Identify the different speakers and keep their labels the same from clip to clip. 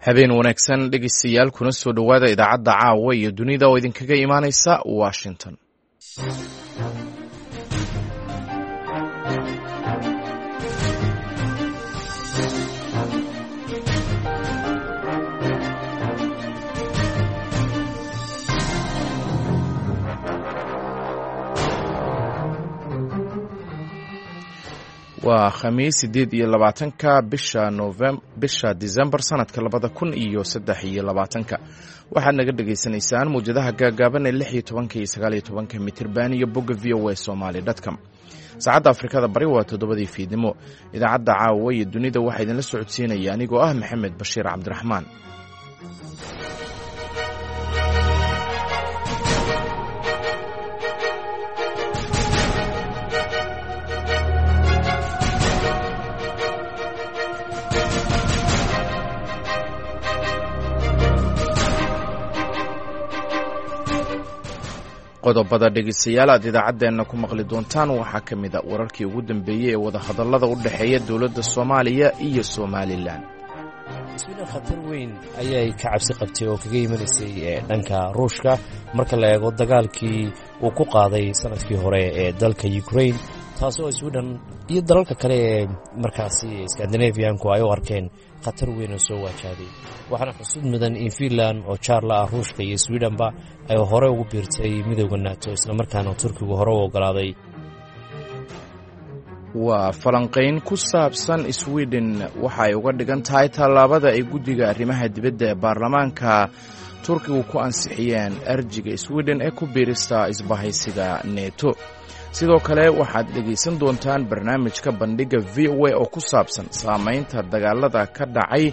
Speaker 1: Habeen wanaagsan, dhegeystayaal, kuna soo dhowaada idaacadda Caawa iyo Dunida oo idinkaga imaanaysa Washington. Waa Khamiis, 28-ka bisha Novem, bisha Disembar, sanadka 2023-ka. Waxaad naga dhagaysanaysaan mawjadaha gaagaaban ee 16-ka iyo 19-ka mitirban iyo bogga VOA Somali com. Saacadda Afrikada Bari waa 7-dii fiidnimo. Idaacadda Caawa iyo Dunida waxaa idinla socodsiinaya anigoo ah Maxamed Bashiir Cabdiraxmaan. Qodobada, dhegeystayaal, aad idaacaddeenna ku maqli doontaan waxaa ka mid a wararkii ugu dambeeyey ee wadahadallada u dhexeeya dowladda Soomaaliya iyo Somalilan.
Speaker 2: Sweden khatar weyn ayay ka cabsi qabtay oo kaga imanaysay dhanka Ruushka, marka la eego dagaalkii uu ku qaaday sanadkii hore ee dalka Ukraine, taasoo Sweden iyo dalalka kale ee markaasi Skandinavianku ay u arkeen khatar weyn oo soo waajahday. Waxaana xusud mudan in Finland oo jaarla ah Ruushka iyo Swedenba ay hore ugu biirtay midooda NATO, islamarkaana Turkigu hore u ogolaaday.
Speaker 1: Waa falanqayn ku saabsan Sweden waxa ay uga dhigan tahay tallaabada ay guddiga arrimaha dibadda ee baarlamaanka Turkigu ku ansixiyeen arjiga Sweden ee ku biirista isbahaysiga Neto. Sidoo kale waxaad dhegaysan doontaan barnaamijka Bandhigga VOA oo ku saabsan saamaynta dagaalada ka dhacay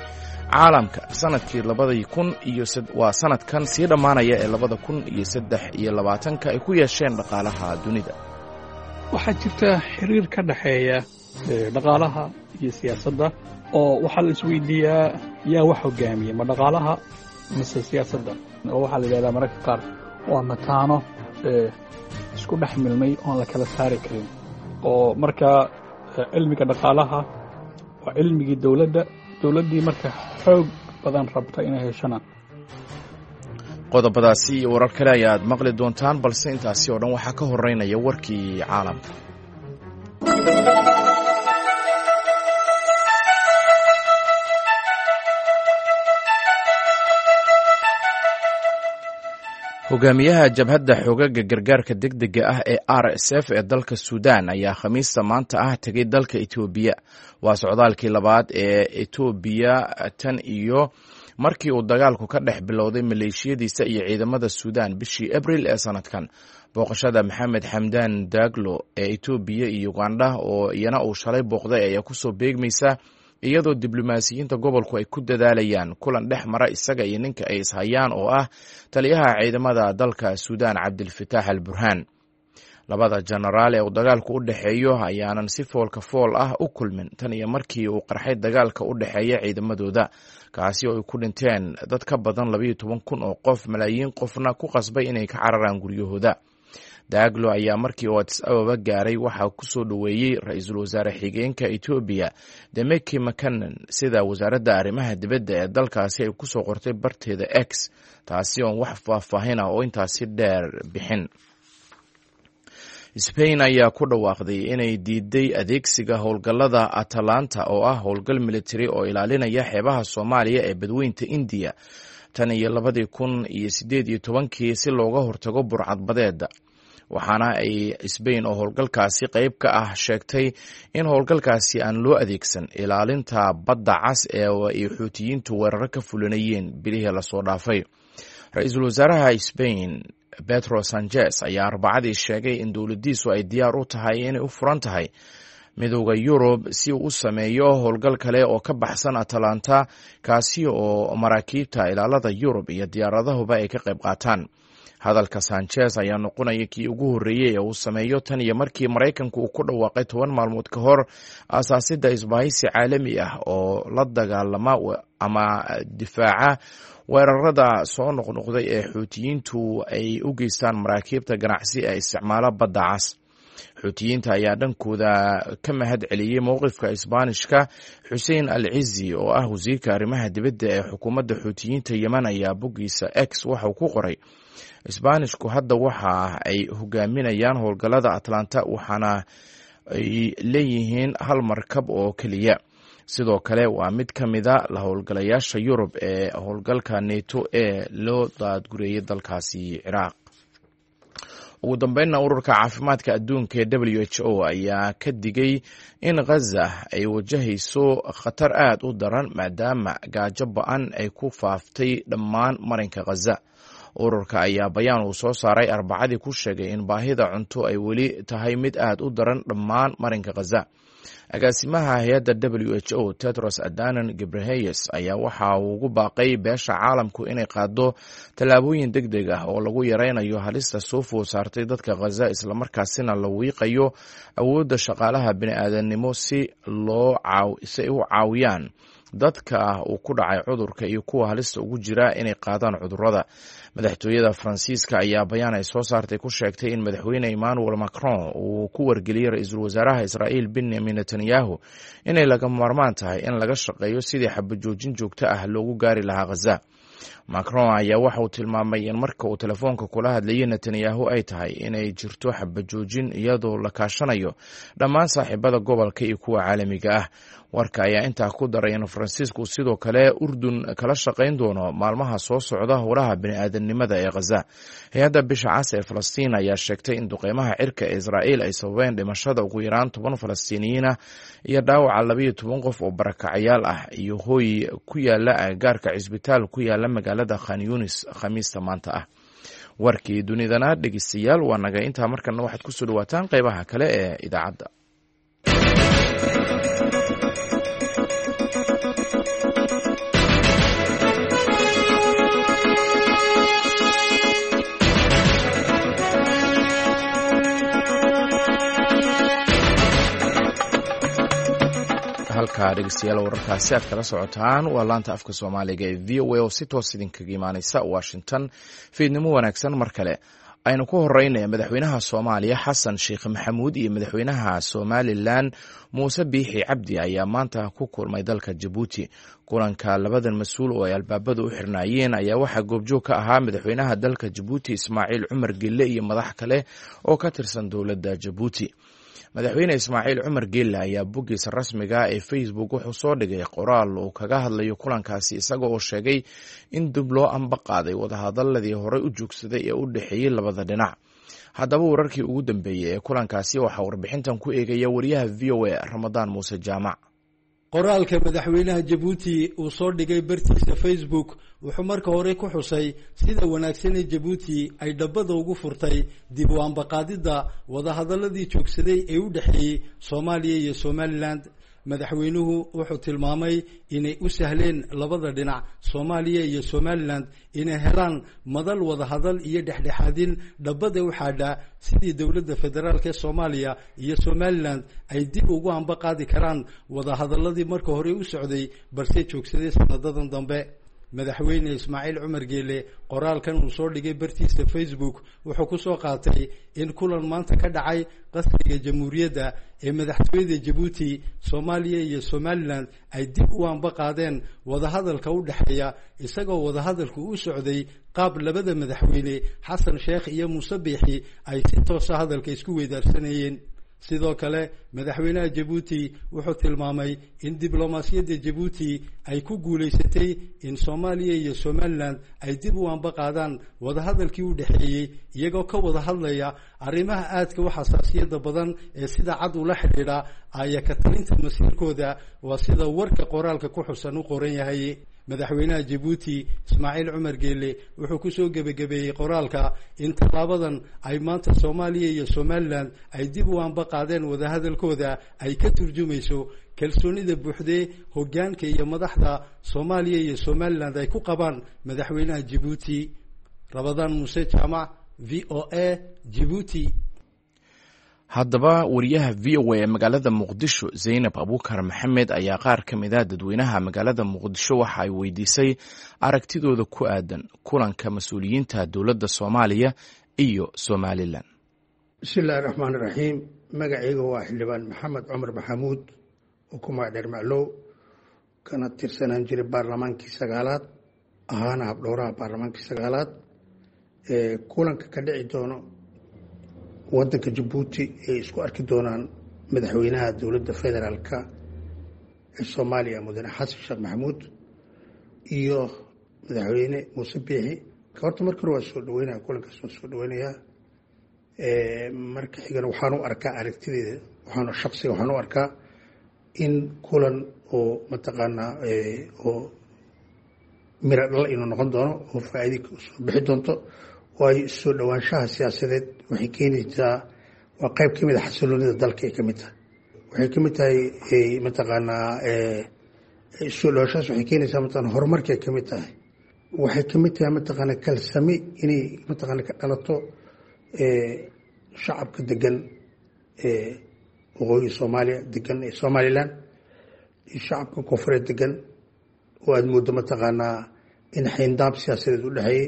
Speaker 1: caalamka sanadkii labadii kun iyo waa sanadkan sii dhammaanaya ee 2023-ka ay ku yeesheen dhaqaalaha dunida.
Speaker 3: Waxaa jirta xiriir ka dhexeeya dhaqaalaha iyo siyaasadda, oo waxaa la isweydiiyaa: yaa wax hogaamiya, ma dhaqaalaha mise siyaasadda? Oo waxaa la yidhahdaa mararka qaar waa mataano isku dhex milmay oon la kala saari karin. Oo markaa cilmiga dhaqaalaha waa cilmigii dowladda, dowladdii marka xoog badan rabta inay heshana.
Speaker 1: Qodobadaasi iyo warar kale ayaad maqli doontaan, balse intaasi oo dhan waxaa ka horeynaya warkii caalamka. Hogaamiyaha jabhadda xoogaga gargaarka degdega ah ee RSF ee dalka Suudan ayaa Khamiista maanta ah tegay dalka Etoobiya. Waa socdaalkii labaad ee Etoobiya tan iyo markii uu dagaalku ka dhex bilowday maleeshiyadiisa iyo ciidamada Suudan bishii Abril ee sanadkan. Booqashada Maxamed Xamdan Daglo ee Etoobiya iyo Ugandha, oo iyana uu shalay booqday, ayaa kusoo beegmaysa iyadoo diblomaasiyiinta gobolku ay ku dadaalayaan kulan dhex mara isaga iyo ninka ay ishayaan oo ah taliyaha ciidamada dalka Suudan, Cabdilfataax al Burhaan. Labada jenaraal ee uu dagaalku u dhexeeyo ayaanan si foolka fool ah u kulmin tan iyo markii uu qarxay dagaalka u dhexeeya ciidamadooda, kaasi oo ay ku dhinteen dad ka badan 12,000 oo qof, malaayiin qofna ku qasbay inay ka cararaan guryahooda. Daaglo ayaa markii uu Adis Ababa gaaray waxaa ku soo dhoweeyey ra-iisul wasaare xigeenka Etoobiya, Demeki Makanan, sida wasaaradda arrimaha dibadda ee dalkaasi ay kusoo qortay barteeda X, taasi oon wax faahfaahin ah oo intaasi dheer bixin. Sbain ayaa ku dhawaaqday inay diiday adeegsiga howlgallada Atalanta, oo ah howlgal militari oo ilaalinaya xeebaha Soomaaliya ee badweynta Indiya tan iyo 2018-kii, si looga hortago burcadbadeeda. Waxaana ay Sbain oo howlgalkaasi qayb ka ah sheegtay in howlgalkaasi aan loo adeegsan ilaalinta badda cas ee ay Xuutiyiintu weeraro ka fulinayeen bilihii lasoo dhaafay. Ra-iisul wasaaraha Sbain, Petro Sanchez, ayaa Arbacadii sheegay in dowladdiisu ay diyaar u tahay inay u furan tahay Midooda Yurub si uu u sameeyo howlgal kale oo ka baxsan Atalanta, kaasi oo maraakiibta ilaalada Yurub iyo diyaaradahuba ay ka qayb qaataan. Hadalka Sanchez ayaa noqonaya kii ugu horreeyey ee uu sameeyo tan iyo markii Maraykanku uu ku dhawaaqay 10 maalmood ka hor aasaasidda isbahaysi caalami ah oo la dagaalama ama difaaca weerarada soo noqnoqday ee Xuutiyiintu ay u geystaan maraakiibta ganacsi ee isticmaala badda cas. Xuutiyiinta ayaa dhankooda ka mahad celiyey mowqifka Isbaanishka. Xuseen Al Cizi, oo ah wasiirka arrimaha dibadda ee xukuumadda Xuutiyiinta Yemen, ayaa boggiisa X waxauu ku qoray: Isbaanishku hadda waxa ay hogaaminayaan howlgallada Atlanta, waxaana ay leeyihiin hal markab oo keliya. Sidoo kale waa mid ka mida la howlgalayaasha Yurub ee howlgalka Neto ee loo daadgureeyay dalkaasi Ciraaq. Ugu dambeynna, Ururka Caafimaadka Adduunka ee WHO ayaa ka digay in Ghaza ay wajahayso khatar aad u daran, maadaama gaajo ba-an ay ku faaftay dhammaan marinka Ghaza. Ururka ayaa bayaan uu soo saaray Arbacadii ku sheegay in baahida cunto ay weli tahay mid aad u daran dhammaan marinka Ghaza. Agaasimaha hay-adda WHO, Tedros Adanon Gebreheyes, ayaa waxa uu ugu baaqay beesha caalamku inay qaado tallaabooyin deg deg ah oo lagu yareynayo halista soo food saartay dadka Khaza, islamarkaasina la wiiqayo awoodda shaqaalaha bini-aadamnimo si ay u caawiyaan dadka uu ku dhacay cudurka iyo kuwa halista ugu jira inay qaadaan cudurrada. Madaxtooyada Faransiiska ayaa bayaan ay soo saartay ku sheegtay in Madaxweyne Emmanuel Macron uu ku wargeliyey ra-iisul wasaaraha Israa'iil Benyamin Netanyahu inay laga maarmaan tahay in laga shaqeeyo sidii xabajoojin joogto ah loogu gaari lahaa Khaza. Macron ayaa waxa uu tilmaamay in marka uu telefoonka kula hadlayay Netanyahu ay tahay inay jirto xabajoojin, iyadoo la kaashanayo dhammaan saaxiibada gobolka iyo kuwa caalamiga ah. Warka ayaa intaa ku daray in Faransiisku sidoo kale Urdun kala shaqayn doono maalmaha soo socda howlaha bini'aadanimada ee Khaza. Hay-adda Bisha Cas ee Falastiin ayaa sheegtay in duqeymaha cirka ee Israa'iil ay sababeen dhimashada ugu yaraan 10 Falastiiniyiin ah iyo dhaawaca 12 qof oo barakacayaal ah iyo hooy ku yaala agagaarka cisbitaal ku yaala magaalada Khan Yunis Khamiista maanta ah. Warkii dunidana, dhegeystayaal, waa naga intaa. Markana waxaad kusoo dhawaataan qeybaha kale ee idaacadda. Halka, dhegeystayaal, wararkaasi aad kala socotaan waa laanta afka Soomaaliga ee VOA oo si toos idinkaga imaaneysa Washington. Fiidnimo wanaagsan mar kale. Aynu ku horeynaya, madaxweynaha Soomaaliya Xasan Sheekh Maxamuud iyo madaxweynaha Somalilan Muuse Biixi Cabdi ayaa maanta ku kulmay dalka Jabuuti. Kulanka labadan mas-uul oo ay albaabadu u xirnaayeen ayaa waxaa goobjoog ka ahaa madaxweynaha dalka Jabuuti Ismaaciil Cumar Gelle iyo madax kale oo ka tirsan dowladda Jabuuti. Madaxweyne Ismaaciil Cumar Geelle ayaa boggiisa rasmiga ee Facebook wuxuu soo dhigay qoraal uu kaga hadlayo kulankaasi, isaga oo sheegay in dib loo amba qaaday wadahadaladii horey u joogsaday ee u dhexeeyey labada dhinac. Haddaba, wararkii ugu dambeeyey ee kulankaasi waxaa warbixintan ku eegaya wariyaha VOA, Ramadaan Muuse Jaamac.
Speaker 4: Qoraalka madaxweynaha Jabuuti uu soo dhigay bartiisa Facebook wuxuu marka hore ku xusay sida wanaagsan ee Jabuuti ay dhabbada ugu furtay dib u ambaqaadidda wadahadaladii joogsaday ee u dhexeeyey Soomaaliya iyo Somalilan. Madaxweynuhu wuxuu tilmaamay inay u sahleen labada dhinac, Soomaaliya iyo Somalilan, inay helaan madal wadahadal iyo dhexdhexaadin dhabbada u xaadha sidii dowladda federaalk ee Soomaaliya iyo Somalilan ay dib ugu amba qaadi karaan wadahadaladii marka hore u socday balse joogsaday sanadadan dambe. Madaxweyne Ismaaciil Cumar Geele qoraalkan uu soo dhigay bartiisa Facebook wuxuu ku soo qaatay in kulan maanta ka dhacay qasriga Jamhuuriyadda ee madaxtooyada Jabuuti, Soomaaliya iyo Somalilan ay dib u amba qaadeen wadahadalka u dhexeeya, isagoo wadahadalku u socday qaab labada madaxweyne, Xasan Sheekh iyo Muuse Biixi, ay si toosa hadalka isku weydaarsanayeen. Sidoo kale, madaxweynaha Jabuuti wuxuu tilmaamay in diblomaasiyadda Jabuuti ay ku guulaysatay in Soomaaliya iyo Somalilan ay dib u amba qaadaan wadahadalkii u dhexeeyey, iyagoo ka wada hadlaya arrimaha aadka u xasaasiyadda badan ee sida cad ula xidhiidha aya ka talinta masiirkooda, waa sida warka qoraalka ku xusan u qoran yahay. Madaxweynaha Jabuuti Ismaaciil Cumar Geele wuxuu kusoo gebagabeeyey qoraalka in tallaabadan ay maanta Soomaaliya iyo Somalilan ay dib u amba qaadeen wadahadalkooda ay ka turjumayso kalsoonida buuxdee hoggaanka iyo madaxda Soomaaliya iyo Somalilan ay ku qabaan madaxweynaha Jabuuti. Rabadaan Muuse Jaamac, VOA, Jibuuti.
Speaker 1: Haddaba, wariyaha VOA ee magaalada Muqdisho, Zaynab Abuukar Maxamed, ayaa qaar ka mid a dadweynaha magaalada Muqdisho waxa ay weydiisay aragtidooda ku aadan kulanka mas-uuliyiinta dowladda Soomaaliya iyo Somalilan.
Speaker 5: Bismillahi raxmaan iraxiim. Magacayga waa Xildhibaan Maxamed Cumar Maxamuud oo ku magac dheer Maclow, kana tirsanaan jiray baarlamaankii sagaalaad, ahaana habdhowraha baarlamaankii sagaalaad. Kulanka ka dhici doono wadanka Jabuuti ay isku arki doonaan madaxweynaha dowladda federaalka ee Soomaaliya, mudane Xasan Sheekh Maxamuud, iyo madaxweyne Muuse Biixi, horta marka hore waa soo dhaweynaya kulankaas, waa soo dhaweynayaa. Marka xigana waxaan u arkaa, aragtideeda waxaan shaksiga waxaan u arkaa in kulan oo mataqaanaa oo miro dhal inuu noqon doono oo faa'iidi soo bixi doonto, waayo soo dhowaanshaha siyaasadeed waxay keenaysaa, waa qayb ka mid a xasiloonida dalka ay ka mid tahay. Waxay ka mid tahay mataqaanaa soo dhowaanshahaas, waxay keenaysaa mataqana horumarkay ka mid tahay. Waxay ka mid tahay mataqaana kalsami inay mataqaana ka dhalato shacabka degan waqooyi Soomaaliya degan ee Somaliland iyo shacabka koonfureed degan, oo aada mooddo mataqaanaa in xayndaab siyaasadeed u dhexeeyey.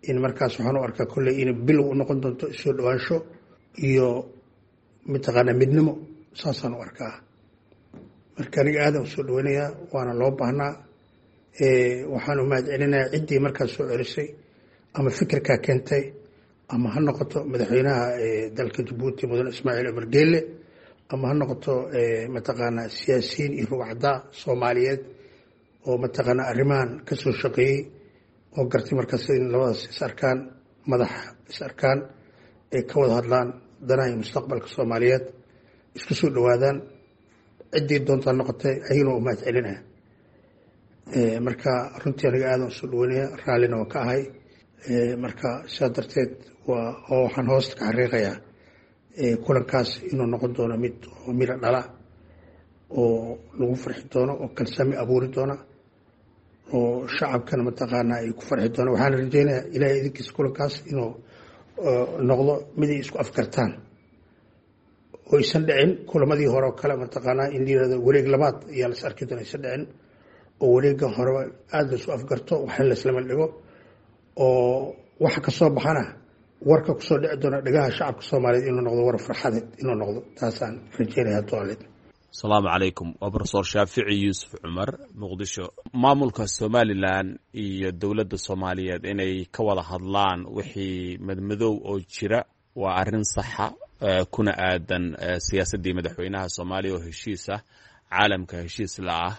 Speaker 5: In markaas waxaan u arkaa kolley inay bilow u noqon doonto soo dhowaansho iyo mataqaanaa midnimo, saasaan u arkaa. Marka aniga aadaan u soo dhaweynayaa, waana loo baahnaa. Waxaan u mahad celinayaa ciddii markaas soo celisay ama fikirkaa keentay, ama ha noqoto madaxweynaha dalka Jabuuti, mudane Ismaaciil Cumar Geelle, ama ha noqoto mataqaanaa siyaasiyiin iyo rugcaddaa Soomaaliyeed oo mataqaanaa arrimahan ka soo shaqeeyey oo gartay markaas in labadaas is arkaan, madax is arkaan, ay ka wada hadlaan danaha iyo mustaqbalka Soomaaliyeed, isku soo dhowaadaan. Ciddii doontaa noqotay, ayagana waa u mahad celinaya. Marka runtii aniga aadan usoo dhaweynaya, raallina waa ka ahay. Marka sidaa darteed waa oo waxaan hoosta ka xariiqayaa kulankaas inuu noqon doono mid oo miro dhala oo lagu farxi doono oo kalsami abuuri doona oo shacabkana mataqaanaa ay ku farxi doona. Waxaana rajeynayaa Ilahay idinkiisa kulankaas inuu noqdo mid ay isku afkartaan oo aysan dhicin kulamadii hore oo kale, mataqaanaa in la yirahdo wareeg labaad ayaa las arki doona, aysan dhicin, oo wareegga horeba aada la isku afgarto, waxna laislama dhigo, oo waxa ka soo baxana warka kusoo dhici doona dhegaha shacabka Soomaaliyeed inuu noqdo war farxadeed inuu noqdo, taasaan rajeynaya toaleed.
Speaker 6: Asalaamu calaykum, waa Brofesor Shaafici Yuusuf Cumar, Muqdisho. Maamulka Somalilan iyo dowladda Soomaaliyeed inay ka wada hadlaan wixii madmadow oo jira waa arrin saxa, kuna aadan siyaasaddii madaxweynaha Soomaaliya oo heshiis ah, caalamka heshiis la ah,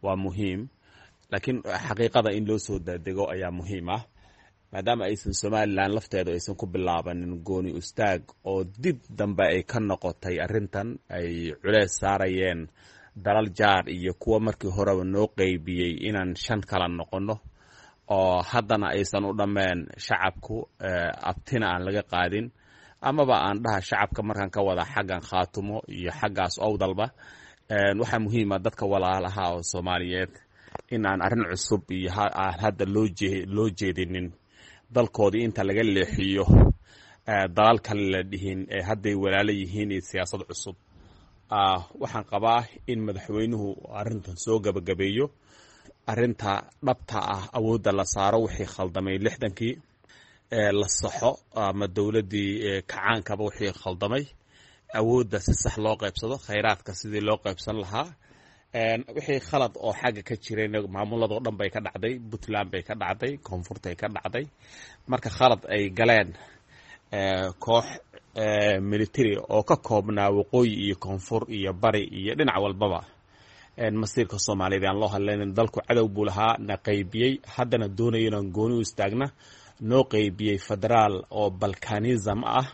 Speaker 6: waa muhiim. Laakiin xaqiiqada in loo soo daadego ayaa muhiim ah, maadaama aysan Somalilan lafteedu aysan ku bilaabanin gooni ustaag oo dib dambe ay ka noqotay arrintan ay culees saarayeen dalal jaar iyo kuwa markii horeba noo qeybiyey inaan shan kala noqonno, oo haddana aysan u dhammeen shacabku abtina aan laga qaadin, amaba aan dhaha shacabka markaan ka wada xaggan Khaatumo iyo xaggaas Owdalba. Waxaa muhiima dadka walaalaha oo Soomaaliyeed in aan arrin cusub iyo aan hadda loo jeedinin, dalkoodii inta laga leexiyo dalal kale la dhihin ee hadday walaalo yihiin iyo siyaasad cusub. Waxaan qabaa in madaxweynuhu arrintan soo gabagabeeyo, arrinta dhabta ah awoodda la saaro, wixii khaldamay 60kii la saxo ama dowladdii kacaankaba wixii khaldamay, awoodda si sax loo qaybsado, khayraadka sidii loo qaybsan lahaa. Wixii khalad oo xagga ka jirayna maamuladoo dhan bay ka dhacday, Puntland bay ka dhacday, koonfurtay ka dhacday. Marka khalad ay galeen koox military oo ka koobnaa waqooyi iyo koonfur iyo bari iyo dhinac walbaba, masiirka Soomaaliyeed aan loo hadlaynin. Dalku cadow buu lahaa na qaybiyey, haddana doonayo inaan gooni u istaagna, noo qaybiyey federaal oo balkanism ah.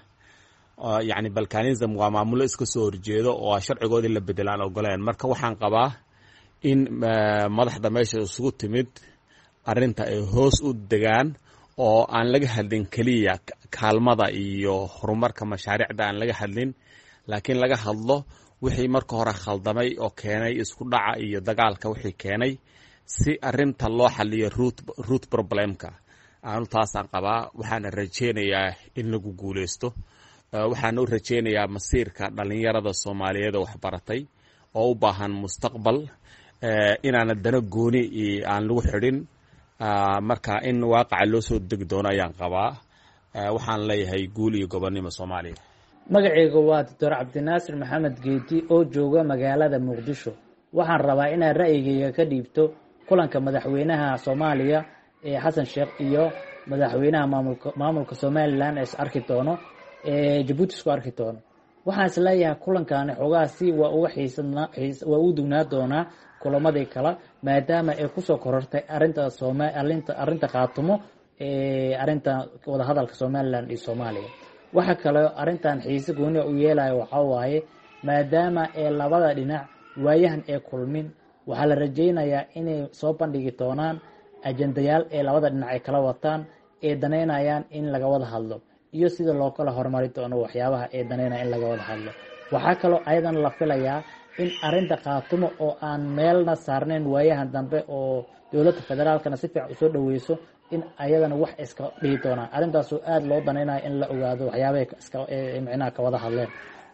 Speaker 6: Yacni balkanism waa maamulo iska soo horjeedo oo sharcigoodii la bedelaan ogoleen. Marka waxaan qabaa in madaxda meesha isugu timid arrinta ay hoos u degaan oo aan laga hadlin keliya kaalmada iyo horumarka mashaariicda aan laga hadlin, laakiin laga hadlo wixii marka hore khaldamay oo keenay isku dhaca iyo dagaalka wixii keenay, si arrinta loo xaliyo root problemka. Aanu taasaan qabaa, waxaana rajeynayaa in lagu guuleysto. Waxaan u rajeynayaa masiirka dhalinyarada Soomaaliyeed oo waxbaratay oo u baahan mustaqbal, inaana dano gooni aan lagu xidhin. Marka in waaqaca loo soo degi doono ayaan qabaa. Waxaan leeyahay guul iyo gobonnimo Soomaaliya.
Speaker 7: Magacayga waa Doctor Cabdinaasir Maxamed Geedi oo jooga magaalada Muqdisho. Waxaan rabaa inaad ra'yigayga ka dhiibto kulanka madaxweynaha Soomaaliya ee Xasan Sheekh iyo madaxweynaha maamulka Somalilan ee is arki doono ee Jabuuti isku arki doono. Waxaan isleeyahay kulankaani xoogaha si waa uga xiiswaa ugu dugnaa doonaa kulamadii kale, maadaama ay kusoo korortay arinta sooma arinta arrinta Khaatumo ee arrinta wadahadalka Somalilan iyo Soomaaliya. Waxa kaleo arrintan xiise gooniya u yeelaya waxaa waaye, maadaama ee labada dhinac waayahan ee kulmin, waxaa la rajaynayaa inay soo bandhigi doonaan ajendayaal ee labada dhinac ay kala wataan ee danaynayaan in laga wada hadlo iyo sida loo kala horumari doono waxyaabaha ee danaynaya in laga wada hadlo. Waxaa kaloo ayadan la filayaa in arrinta Khaatumo oo aan meelna saarnayn waayahan dambe oo dowladda federaalkana si fiican usoo dhaweyso in ayadana wax iska dhihi doonaan, arrintaasoo aada loo danaynayo in la ogaado waxyaabahay iska micnaha ka wada hadleen.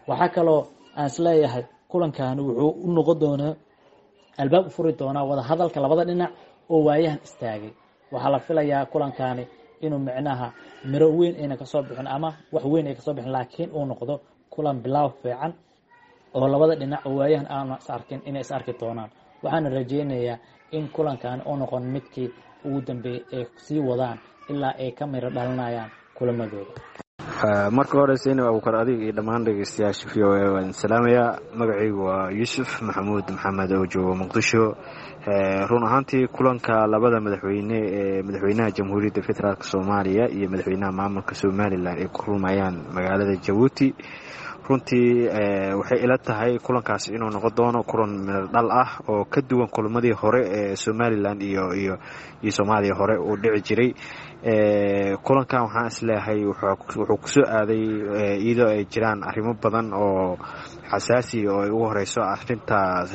Speaker 7: Waxaa kaloo aan isleeyahay kulankaani wuxuu u noqon doonaa albaab u furi doonaa wada hadalka labada dhinac oo waayahan istaagay. Waxaa la filayaa kulankaani inuu micnaha miro weyn ayna kasoo bixin ama wax weyn ay kasoo bixin, laakiin uu noqdo kulan bilaaw fiican oo labada dhinac oo waayahan aana is arkin inay is arki doonaan. Waxaana rajeynayaa in kulankaani uu noqon midkii ugu dambeeyey ay sii wadaan ilaa ay ka miro dhalinayaan kulamadooda.
Speaker 8: Marka hore, Zaynab Abuukar, adiga iyo dhammaan dhegeystayaasha VOA waan salaamayaa. Magacaygu waa Yuusuf Maxamuud Maxamed oo jooga Muqdisho. Run ahaantii, kulanka labada madaxweyne ee madaxweynaha Jamhuuriyadda Federaalk Soomaaliya iyo madaxweynaha maamulka Somalilan ay ku kulmayaan magaalada Jabuuti, runtii waxay ila tahay kulankaasi inuu noqon doono kulan miro dhal ah oo ka duwan kulamadii hore ee Somalilan iyo Soomaaliya hore uu dhici jiray. Kulankan waxaan isleeyahay wuxuu kusoo aaday iyadoo ay jiraan arrimo badan oo xasaasi oo ay ugu horeyso arrinta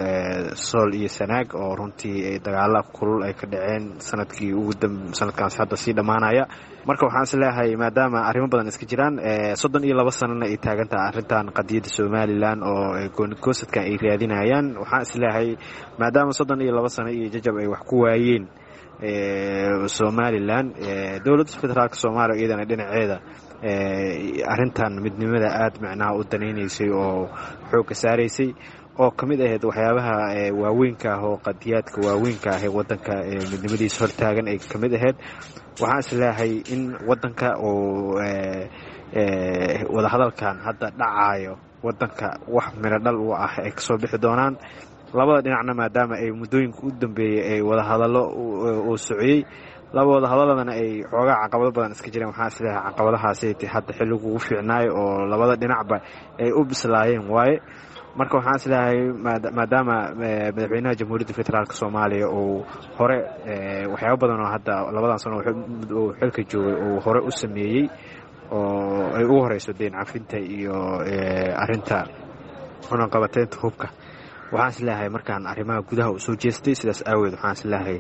Speaker 8: Sool iyo Sanaag, oo runtii dagaala kulul ay ka dhaceen sanadkii ugu sanadkaas hadda sii dhammaanaya. Marka waxaan isleeyahay, maadaama arrimo badan iska jiraan, 32 sanana ay taagan tahay arrintan qadiyadda Somalilan oo goonigosadkan ay raadinayaan, waxaan isleeyahay maadaama 32 sano iyo jajab ay wax ku waayeen Somalilan, dowladda federaalka Soomaaliya iyadana dhinaceeda arrintan midnimada aada macnaha u danaynaysay oo xoogga saaraysay, oo ka mid ahayd waxyaabaha waaweynka ah oo qadiyaadka waaweynka ah ee wadanka midnimadiisa hortaagan ay ka mid ahayd, waxaan isleeyahay in wadanka uu wadahadalkan hadda dhacaayo wadanka wax miro dhal u ah ay kasoo bixi doonaan labada dhinacna, maadaama ay muddooyinka u dambeeyey ay wadahadallo uu sociyey, laba wadahadaladana ay xoogaa caqabado badan iska jireen. Waxaan isleeyahay caqabadahaasi hadda xilligu ugu fiicnaayo oo labada dhinacba ay u bislaayeen waaye. Marka waxaan isleeyahay, maadaama madaxweynaha Jamhuuriyadda Federaalk Soomaaliya uu hore waxyaabo badan oo hadda labadan sano uu xilka joogay uu hore u sameeyey, oo ay ugu horeyso deyn cafinta iyo arinta cunaqabateynta hubka, waxaan isleeyahay markaan arrimaha gudaha uu soo jeestay, sidaas aaweed waxaan isleeyahay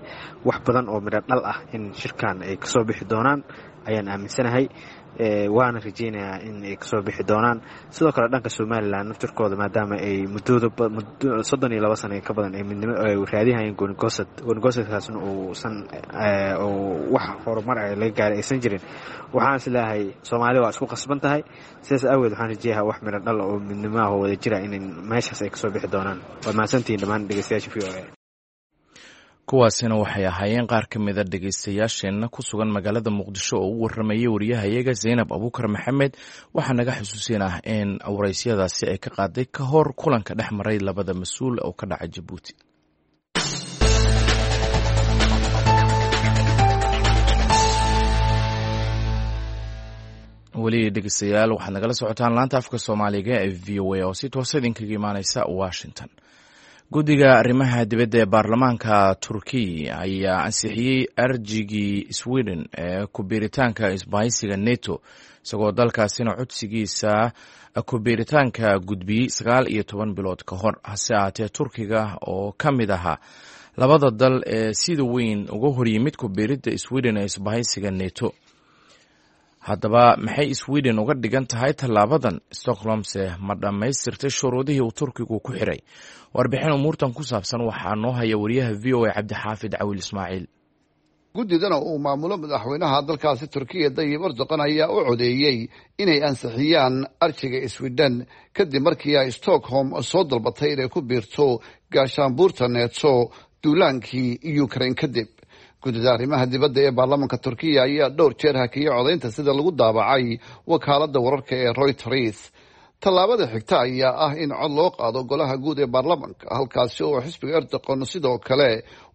Speaker 8: wax badan oo midho dhal ah in shirkan ay kasoo bixi doonaan ayaan aaminsanahay, waana rajeynayaa in ay kasoo bixi doonaan. Sidoo kale dhanka Somalilan naftirkooda, maadaama ay muddooda 32 sana ka badan ay midnimo ay raadihayeen goonigosad, goonigosadkaasna uusan wax horumar ah laga gaaray aysan jirin, waxaan isleeyahay Soomaali waa isku qasban tahay. Sidaas aaweed waxaan rajeeyaha wax midho dhal oo midnimo ah oo wada jira in meeshaas ay kasoo bixi doonaan. Waad mahadsantihiin dhammaan dhegeystayaasha VOA.
Speaker 1: Kuwaasina waxay ahaayeen qaar ka mida dhegaystayaasheenna ku sugan magaalada Muqdisho oo u warramayay wariyahayaga Zaynab Abuukar Maxamed. Waxaa naga xusuusin ah in waraysyadaasi ay ka qaaday ka hor kulanka dhex maray labada mas-uul oo ka dhaca Jabuuti. Weli dhegeystayaal, waxaad nagala socotaan laanta afka Soomaaliga ee VOA oo si toosa idinkaga imaaneysa Washington. Guddiga arrimaha dibadda ee baarlamaanka Turkiya ayaa ansixiyey arjigii Sweden ee ku-biiritaanka isbahaysiga NATO, isagoo dalkaasina codsigiisa ku-biiritaanka gudbiyey 19 bilood ka hor. Hase ahaatee, Turkiga oo ka mid ahaa labada dal ee sida weyn uga horyimid ku-biiridda Sweden ee isbahaysiga NATO. Haddaba, maxay Sweden uga dhigan tahay tallaabadan? Stockholmse ma dhammaystirtay shuruudihii uu Turkigu ku xiray? Warbixin umuurtan ku saabsan waxaa noo haya wariyaha VOA Cabdixaafid Cawil Ismaaciil.
Speaker 9: Guddidana uu maamulo madaxweynaha dalkaasi Turkiya Dayib Erdoqan ayaa u codeeyey inay ansixiyaan arjiga Sweden, kadib markii ay Stockholm soo dalbatay inay ku biirto gaashaanbuurta Neto duulaankii Ukraine kadib. Guddida arrimaha dibadda ee baarlamaanka Turkiya ayaa dhowr jeer hakiyay codaynta, sida lagu daabacay wakaaladda wararka ee Reuters. Tallaabada xigta ayaa ah in cod loo qaado golaha guud ee baarlamanka, halkaasi oo xisbiga Erdoqon sidoo kale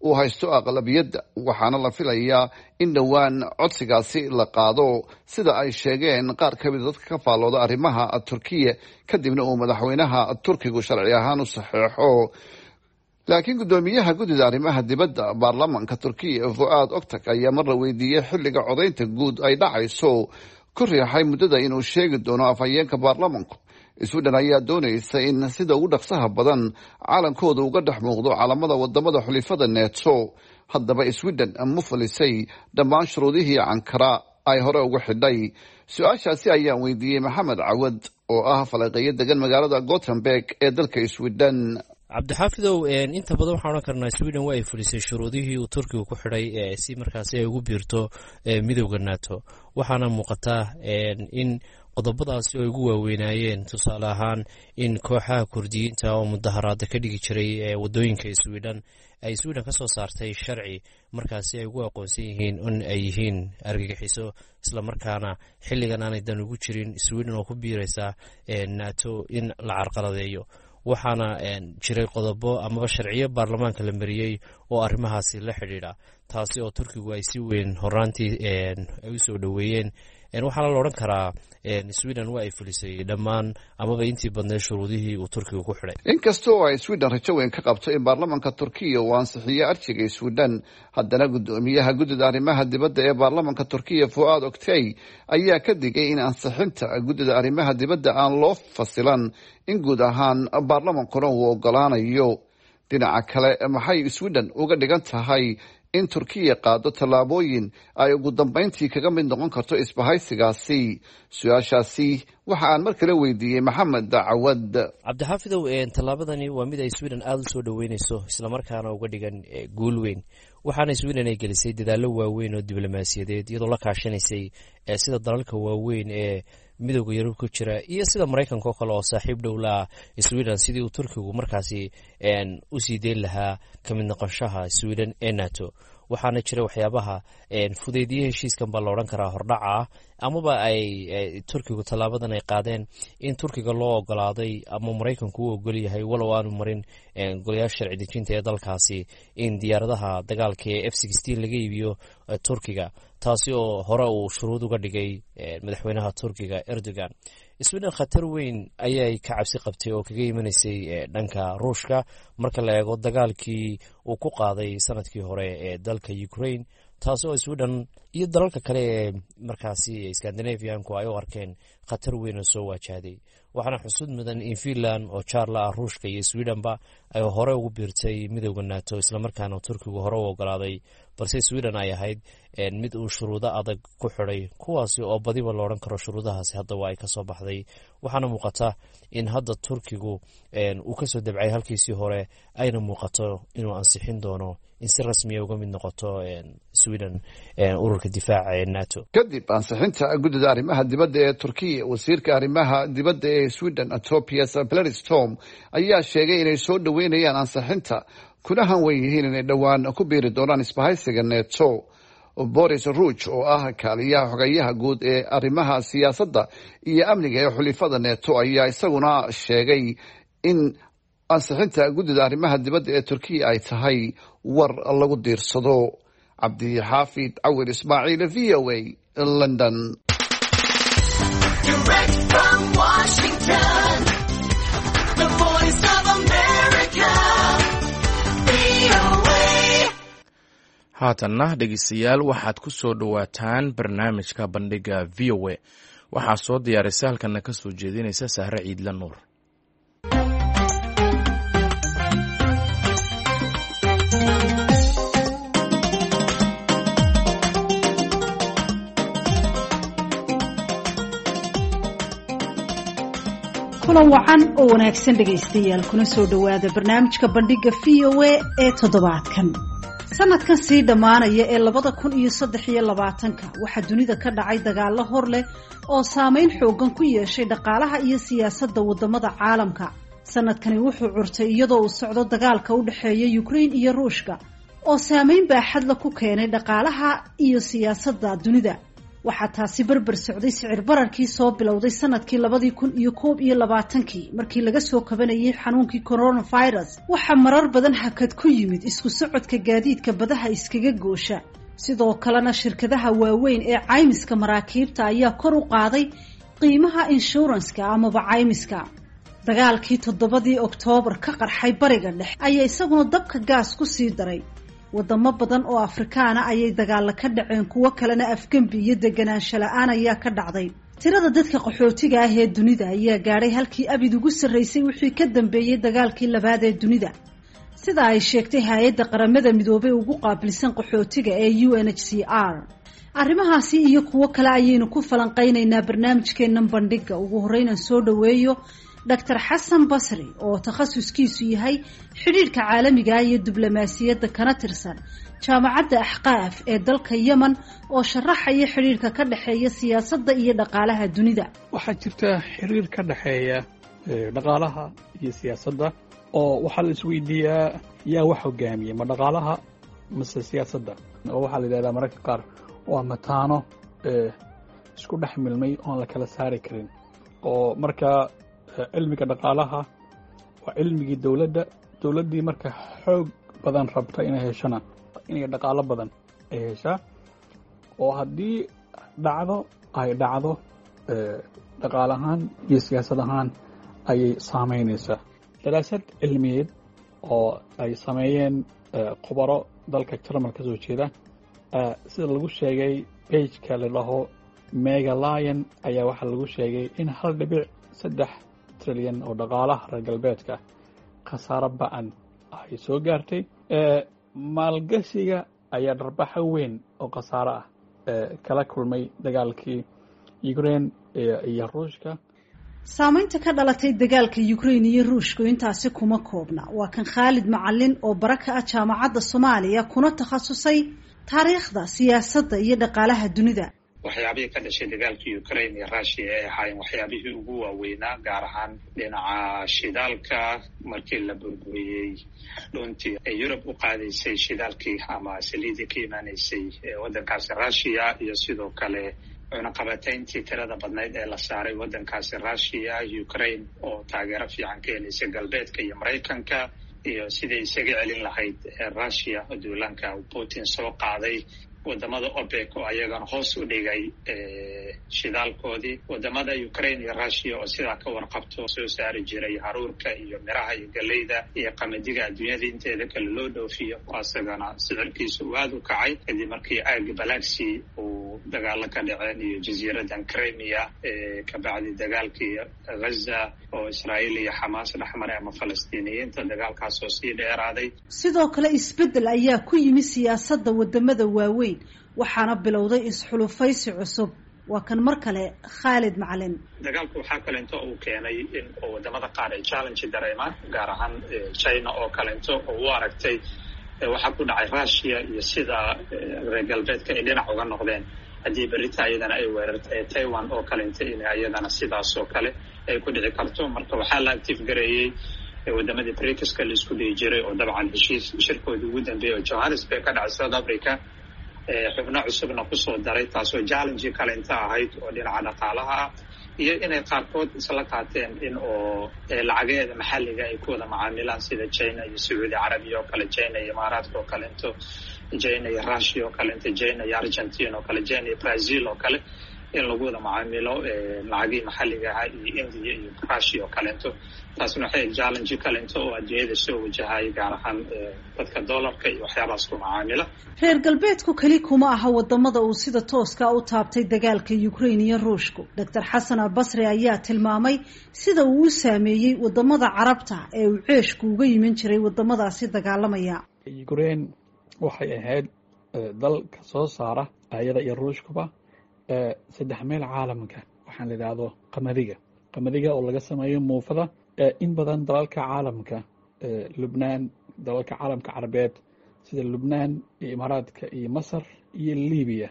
Speaker 9: uu haysto aqlabiyadda, waxaana la filayaa in dhowaan codsigaasi la qaado, sida ay sheegeen qaar ka mida dadka ka faallooda arrimaha Turkiya, kadibna uu madaxweynaha Turkigu sharci ahaan u saxeexo. Laakiin guddoomiyaha guddida arrimaha dibadda baarlamanka Turkiya, Fuaad Octak, ayaa marla weydiiyey xilliga codaynta guud ay dhacayso ku riixay muddada inuu sheegi doono afhayeenka baarlamanku. Sweden ayaa doonaysa in sida ugu dhaqsaha badan calankooda uga dhex muuqdo calamada wadamada xulifada Neto. Haddaba, Sweden ma fulisay dhammaan shuruudihii Ankara ay hore ugu xidhay? Su-aashaasi ayaan weydiiyey Maxamed Cawad oo ah falaqeeyo degan magaalada Gothenburg ee dalka Sweden.
Speaker 2: Cabdixaafidow, inta badan waxaan odhan karnaa Sweden waa ay fulisay shuruudihii uu Turkiga ku xidhay si markaasi ay ugu biirto midowda Nato, waxaana muuqataa in qodobadaasi ay ugu waaweynaayeen, tusaale ahaan, in kooxaha Kurdiyiinta oo mudaharaada ka dhigi jiray wadooyinka Sweden ay Sweden ka soo saartay sharci markaasi ay ugu aqoonsan yihiin in ay yihiin argagixiso, islamarkaana xilligan aanay dan ugu jirin Sweden oo ku biiraysa Nato in la carqaladeeyo. Waxaana jiray qodobo amaba sharciyo baarlamaanka la mariyey oo arrimahaasi la xidhiidha, taasi oo Turkigu ay si weyn horaantii ay usoo dhoweeyeen. Waxaana la odhan karaa Sweden waa ay fulisay dhammaan amaba intii badneed shuruudihii uu Turkiga ku xidhay.
Speaker 9: Inkasta oo ay Sweden rajo weyn ka qabto in baarlamanka Turkiya uu ansixiyo arjiga Sweden, haddana guddoomiyaha guddida arrimaha dibadda ee baarlamanka Turkiya, Fuaad Oktay, ayaa ka digay in ansixinta guddida arrimaha dibadda aan loo fasilan in guud ahaan baarlamankuna uu ogolaanayo. Dhinaca kale, maxay Sweden uga dhigan tahay in Turkiya qaado tallaabooyin ay ugu dambeyntii kaga mid noqon karto isbahaysigaasi? Su-aashaasi waxa aan mar kale weydiiyey Maxamed Cawad.
Speaker 2: Cabdixaafidow, tallaabadani waa mid ay Sweden aada u soo dhoweyneyso, islamarkaana uga dhigan guul weyn, waxaana Sweden ay gelisay dadaallo waaweyn oo diblomaasiyadeed, iyadoo la kaashanaysay sida dalalka waaweyn ee Midowda Yurub ku jira iyo sida Maraykanka oo kale oo saaxiib dhow la ah Sweden, sidii uu Turkigu markaasi usii deyn lahaa ka mid noqoshaha Sweden ee Nato. Waxaana jira waxyaabaha fudeydiyey heshiiskan baa la odhan karaa hordhaca ah amaba ay Turkigu tallaabadan ay qaadeen, in Turkiga loo ogolaaday ama Maraykanku u ogol yahay, walow aanu marin golayaasha sharci dejinta ee dalkaasi, in diyaaradaha dagaalka ee F-16 laga iibiyo Turkiga, taasi oo hore uu shuruud uga dhigay madaxweynaha Turkiga Erdogan. Sweden khatar weyn ayay ka cabsi qabtay oo kaga imanaysay dhanka Ruushka marka la eego dagaalkii uu ku qaaday sanadkii hore ee dalka Ukraine, taasi oo Sweden iyo dalalka kale ee markaasi Scandinavianku ay u arkeen khatar weyn oo soo waajahday. Waxaana xusud mudan in Finland oo jaarla ah Ruushka iyo Swedenba ay hore ugu biirtay midowda Nato, islamarkaana Turkigu hore u ogolaaday, balse Sweden ay ahayd mid uu shuruudo adag ku xidhay, kuwaasi oo badiba la odhan karo shuruudahaasi hadda waa ay kasoo baxday. Waxaana muuqata in hadda Turkigu uu kasoo dabcay halkiisii hore, ayna muuqato inuu ansixin doono in si rasmiya uga mid noqoto Sweden ururka difaaca ee Nato.
Speaker 9: Kadib ansixinta guddida arrimaha dibadda ee Turkiya, wasiirka arrimaha dibadda ee Sweden, Tobias Billström, ayaa sheegay inay soo dhoweynayaan ansixinta kuna hanwen yihiin inay dhowaan ku biiri doonaan isbahaysiga Neto. Boris Ruuj oo ah kaaliyaha xogayaha guud ee arrimaha siyaasadda iyo amniga ee xulifada Neto ayaa isaguna sheegay in ansixinta guddida arrimaha dibadda ee Turkiya ay tahay war lagu diirsado. Cabdixaafid Cawir Ismaaciil, VOA, London.
Speaker 10: Direct from Washington, the Voice of America, VOA.
Speaker 1: Haatanna dhegeystayaal, waxaad ku soo dhowaataan barnaamijka Bandhiga VOA. Waxaa soo diyaarisa halkana ka soo jeedinaysa Sahre Ciidla Nuur.
Speaker 11: Kulan wacan oo wanaagsan dhegaystayaal, kuna soo dhowaada barnaamijka Bandhiga VOA ee toddobaadkan. Sanadkan sii dhammaanaya ee 2023-ka waxaa dunida ka dhacay dagaallo hor leh oo saameyn xooggan ku yeeshay dhaqaalaha iyo siyaasadda waddamada caalamka. Sanadkani wuxuu curtay iyadoo uu socdo dagaalka u dhexeeya Ukraine iyo Ruushka oo saameyn baaxadla ku keenay dhaqaalaha iyo siyaasadda dunida. Waxaa taasi berber socday sicir bararkii soo bilowday sanadkii 2021-kii markii laga soo kabanayay xanuunkii coronavirus. Waxaa marar badan hakad ku yimid isku socodka gaadiidka badaha iskaga goosha. Sidoo kalena shirkadaha waaweyn ee caymiska maraakiibta ayaa kor u qaaday qiimaha inshuranska amaba caymiska. Dagaalkii 7-dii Oktoobar ka qarxay Bariga Dhexe ayaa isaguna dabka gaas ku sii daray. Wadamo badan oo Afrikaana ayay dagaalla ka dhaceen, kuwo kalena afgembi iyo deganaansho la-aan ayaa ka dhacday. Tirada dadka qaxootiga ah ee dunida ayaa gaadhay halkii abid ugu sarreysay wixii ka dambeeyey dagaalkii labaad ee dunida, sida ay sheegtay hay-adda Qaramada Midoobay ugu qaabilsan qaxootiga ee UNHCR. Arrimahaasi iyo kuwo kale ayaynu ku falanqeynaynaa barnaamijkeennan Bandhiga. Ugu horreynaan soo dhoweeyo Dr Xasan Basri oo takhasuskiisu yahay xidhiidhka caalamiga iyo diblomaasiyadda, kana tirsan Jaamacadda Axqaaf ee dalka Yemen, oo sharaxaya xidhiidhka ka dhexeeya siyaasadda iyo dhaqaalaha dunida.
Speaker 3: Waxaa jirta xiriir ka dhexeeya dhaqaalaha iyo siyaasadda, oo waxaa la isweydiiyaa yaa wax hogaamiya, ma dhaqaalaha mase siyaasadda? Oo waxaa la yidhahdaa mararka qaar waa mataano isku dhex milmay oon la kala saari karin. Oo markaa cilmiga dhaqaalaha waa cilmigii dowladda. Dowladdii marka xoog badan rabta inay heshona, inay dhaqaalo badan ay heshaa, oo haddii dhacdo ay dhacdo dhaqaal ahaan iyo siyaasad ahaan ayay saameynaysaa. Daraasad cilmiyeed oo ay sameeyeen khubaro dalka Jarmal ka soo jeeda, sida lagu sheegay page-ka la dhaho Megalion, ayaa waxaa lagu sheegay in 1.3 trilyan oo dhaqaalaha reer galbeedka khasaaro ba-an ay soo gaartay. Maalgashiga ayaa dharbaxo weyn oo khasaaro ah kala kulmay dagaalkii Ukraine iyo Ruushka.
Speaker 11: Saameynta ka dhalatay dagaalka Ukraine iyo Ruushku intaasi kuma koobna. Waa kan Khaalid Macalin oo bara ka ah Jaamacadda Soomaaliya, kuna takhasusay taariikhda siyaasadda iyo dhaqaalaha dunida.
Speaker 12: Waxyaabihii ka dhashay dagaalkii Ukraine iyo Russia ay ahaayeen waxyaabihii ugu waaweynaa, gaar ahaan dhinaca shidaalka, markii la burburiyey dhuntii ee Yurub u qaadaysay shidaalkii ama saliidii ka imaanaysay waddankaasi Russia, iyo sidoo kale cunaqabatayntii tirada badnayd ee la saaray waddankaasi Russia, Ukraine oo taageero fiican ka helaysay galbeedka iyo Maraykanka, iyo siday isaga celin lahayd Russia duulaanka Putin soo qaaday, wadamada OPEC oo ayagana hoos u dhigay shidaalkoodii, wadamada Ukraine iyo Russia oo sidaa ka warqabto soo saari jiray haruurka iyo miraha iyo galeyda iyo qamadiga adduunyada inteeda kale loo dhoofiyo, oo isagana sicirkiisa uu aada u kacay kadib markii aagi Black Sea uu dagaalo ka dhaceen iyo jasiiradan Crimea, kabacdi dagaalkii Gaza oo Israa'iil iyo Xamaas dhexmaray ama Falastiiniyiinta, dagaalkaas oo sii dheeraaday.
Speaker 11: Sidoo kale isbeddel ayaa ku yimi siyaasadda wadamada waaweyn, waxaana bilowday isxulufaysi cusub. Waa kan mar kale Khaalid Macalin.
Speaker 12: Dagaalku waxaa kalento uu keenay in wadamada qaar ay challenge dareemaan, gaar ahaan China oo kalento oo u aragtay waxaa ku dhacay Russia iyo sida reer galbeedka ay dhinac uga noqdeen, haddii berita ayadana ay weerartay Taiwan oo kalento, in ayadana sidaas oo kale ay ku dhici karto. Marka waxaa la active gareeyey wadamadii BRICS-ka la isku dhihi jiray, oo dabcan heshiis shirkoodii ugu dambeeyey oo Johannesburg ka dhacay South Africa xubno cusubna kusoo daray, taasoo challenge kalenta ahayd oo dhinaca dhaqaalaha ah, iyo inay qaarkood isla qaateen in oo lacagaheeda maxalliga ay ku wada macaamilaan, sida China iyo Sacuudi Carabiya oo kale, China iyo Imaaraadka oo kalento, China iyo Russia oo kalento, China iyo Argentina oo kale, China iyo Brazil oo kale, in lagu wada macaamilo lacagihii maxalliga ahaa, iyo India iyo Russia oo kalento. Taasna waxay challenge kalento oo adduunyada soo wajahaya, gaar ahaan dadka dollarka iyo waxyaabahaas ku macaamila.
Speaker 11: Reer galbeedku keli kuma aha wadamada uu sida tooska u taabtay dagaalka Ukraine iyo Ruushku. Dr Xasan Albasri ayaa tilmaamay sida uu u saameeyey wadamada Carabta ee uu ceeshku uga yiman jiray wadamadaasi dagaalamaya.
Speaker 3: Ukraine waxay ahayd dal ka soo saara, ayada iyo Ruushkuba, saddex meel caalamka waxaan la idhaahdo qamadiga, qamadiga oo laga sameeyo muufada. In badan dalalka caalamka, Lubnaan, dalalka caalamka Carabeed Sida Lubnaan iyo Imaaraadka iyo Masar iyo Libiya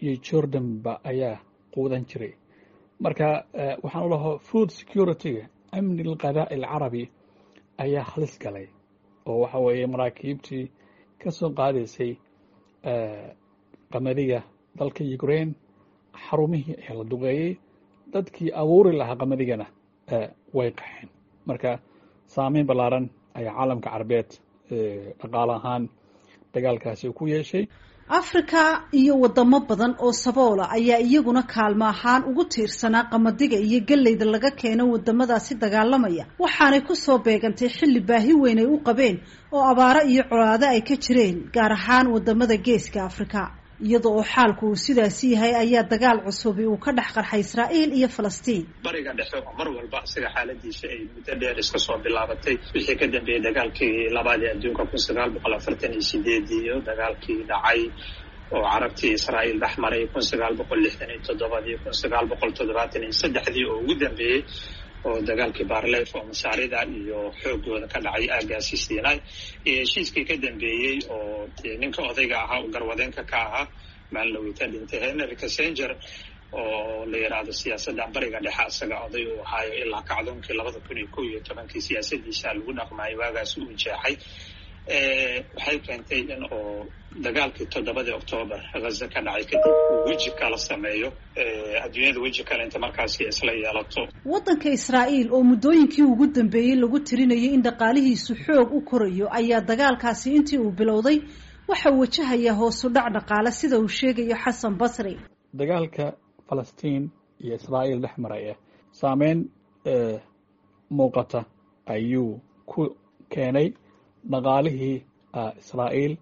Speaker 3: iyo Jordanba ayaa quudan jiray. Marka waxaan u lahaa food security-ga, amni alqadaa alcarabi ayaa halis galay, oo waxa weeye maraakiibtii ka soo qaadaysay qamadiga dalka Ukraine xarumihii ayaa la duqeeyey, dadkii abuuri lahaa qamadigana way qaxeen. Marka saameyn ballaaran ayaa caalamka Carabeed dhaqaale ahaan dagaalkaasi ku yeeshay.
Speaker 11: Afrika iyo wadamo badan oo saboola ayaa iyaguna kaalmo ahaan ugu tiirsanaa qamadiga iyo galleyda laga keeno wadamadaasi dagaalamaya, waxaanay kusoo beegantay xilli baahi weyn ay u qabeen oo abaaro iyo colaado ay ka jireen, gaar ahaan wadamada Geeska Afrika. Iyada oo xaalku uu sidaasi yahay ayaa dagaal cusubi uu ka dhex qarxay Israa'iil iyo Falastiin.
Speaker 12: Bariga Dhexe oo mar walba isaga xaaladiisa ay muddo dheer iska soo bilaabatay wixii ka dambeeyey dagaalkii labaad ee adduunka 1948 iyo dagaalkii dhacay oo Carabtii Israa'iil dhex maray 1967-dii, 1973-dii oo ugu dambeeyey oo dagaalkii Barlef oo Masaarida iyo xoogooda ka dhacay aagaasi Sinai, iyo heshiiskii ka dambeeyey oo ninka odayga ahaa uu garwadeenka ka ahaa maalinlawita dhintay, Henry Kissinger, oo la yidhaahdo siyaasaddan Bariga Dhexe asaga oday uu ahaayo ilaa kacdoonkii 2011-kii siyaasadiisa lagu dhaqmaayo waagaas uu jeexay, waxay keentay in oo dagaalkii 7-dii Oktoobar Ghaza ka dhacay kadib uu weji kala sameeyo adduunyada, weji kale inta markaasi isla yeelato.
Speaker 11: Waddanka Israa'iil oo muddooyinkii ugu dambeeyey lagu tirinayay in dhaqaalihiisu xoog u korayo ayaa dagaalkaasi intii uu bilowday waxa uu wajahayaa hoosu dhac dhaqaale, sida uu sheegayo Xasan Basri.
Speaker 3: Dagaalka Falastiin iyo Israa'iil dhex maraya saameyn muuqata ayuu ku keenay dhaqaalihii Israa'iil,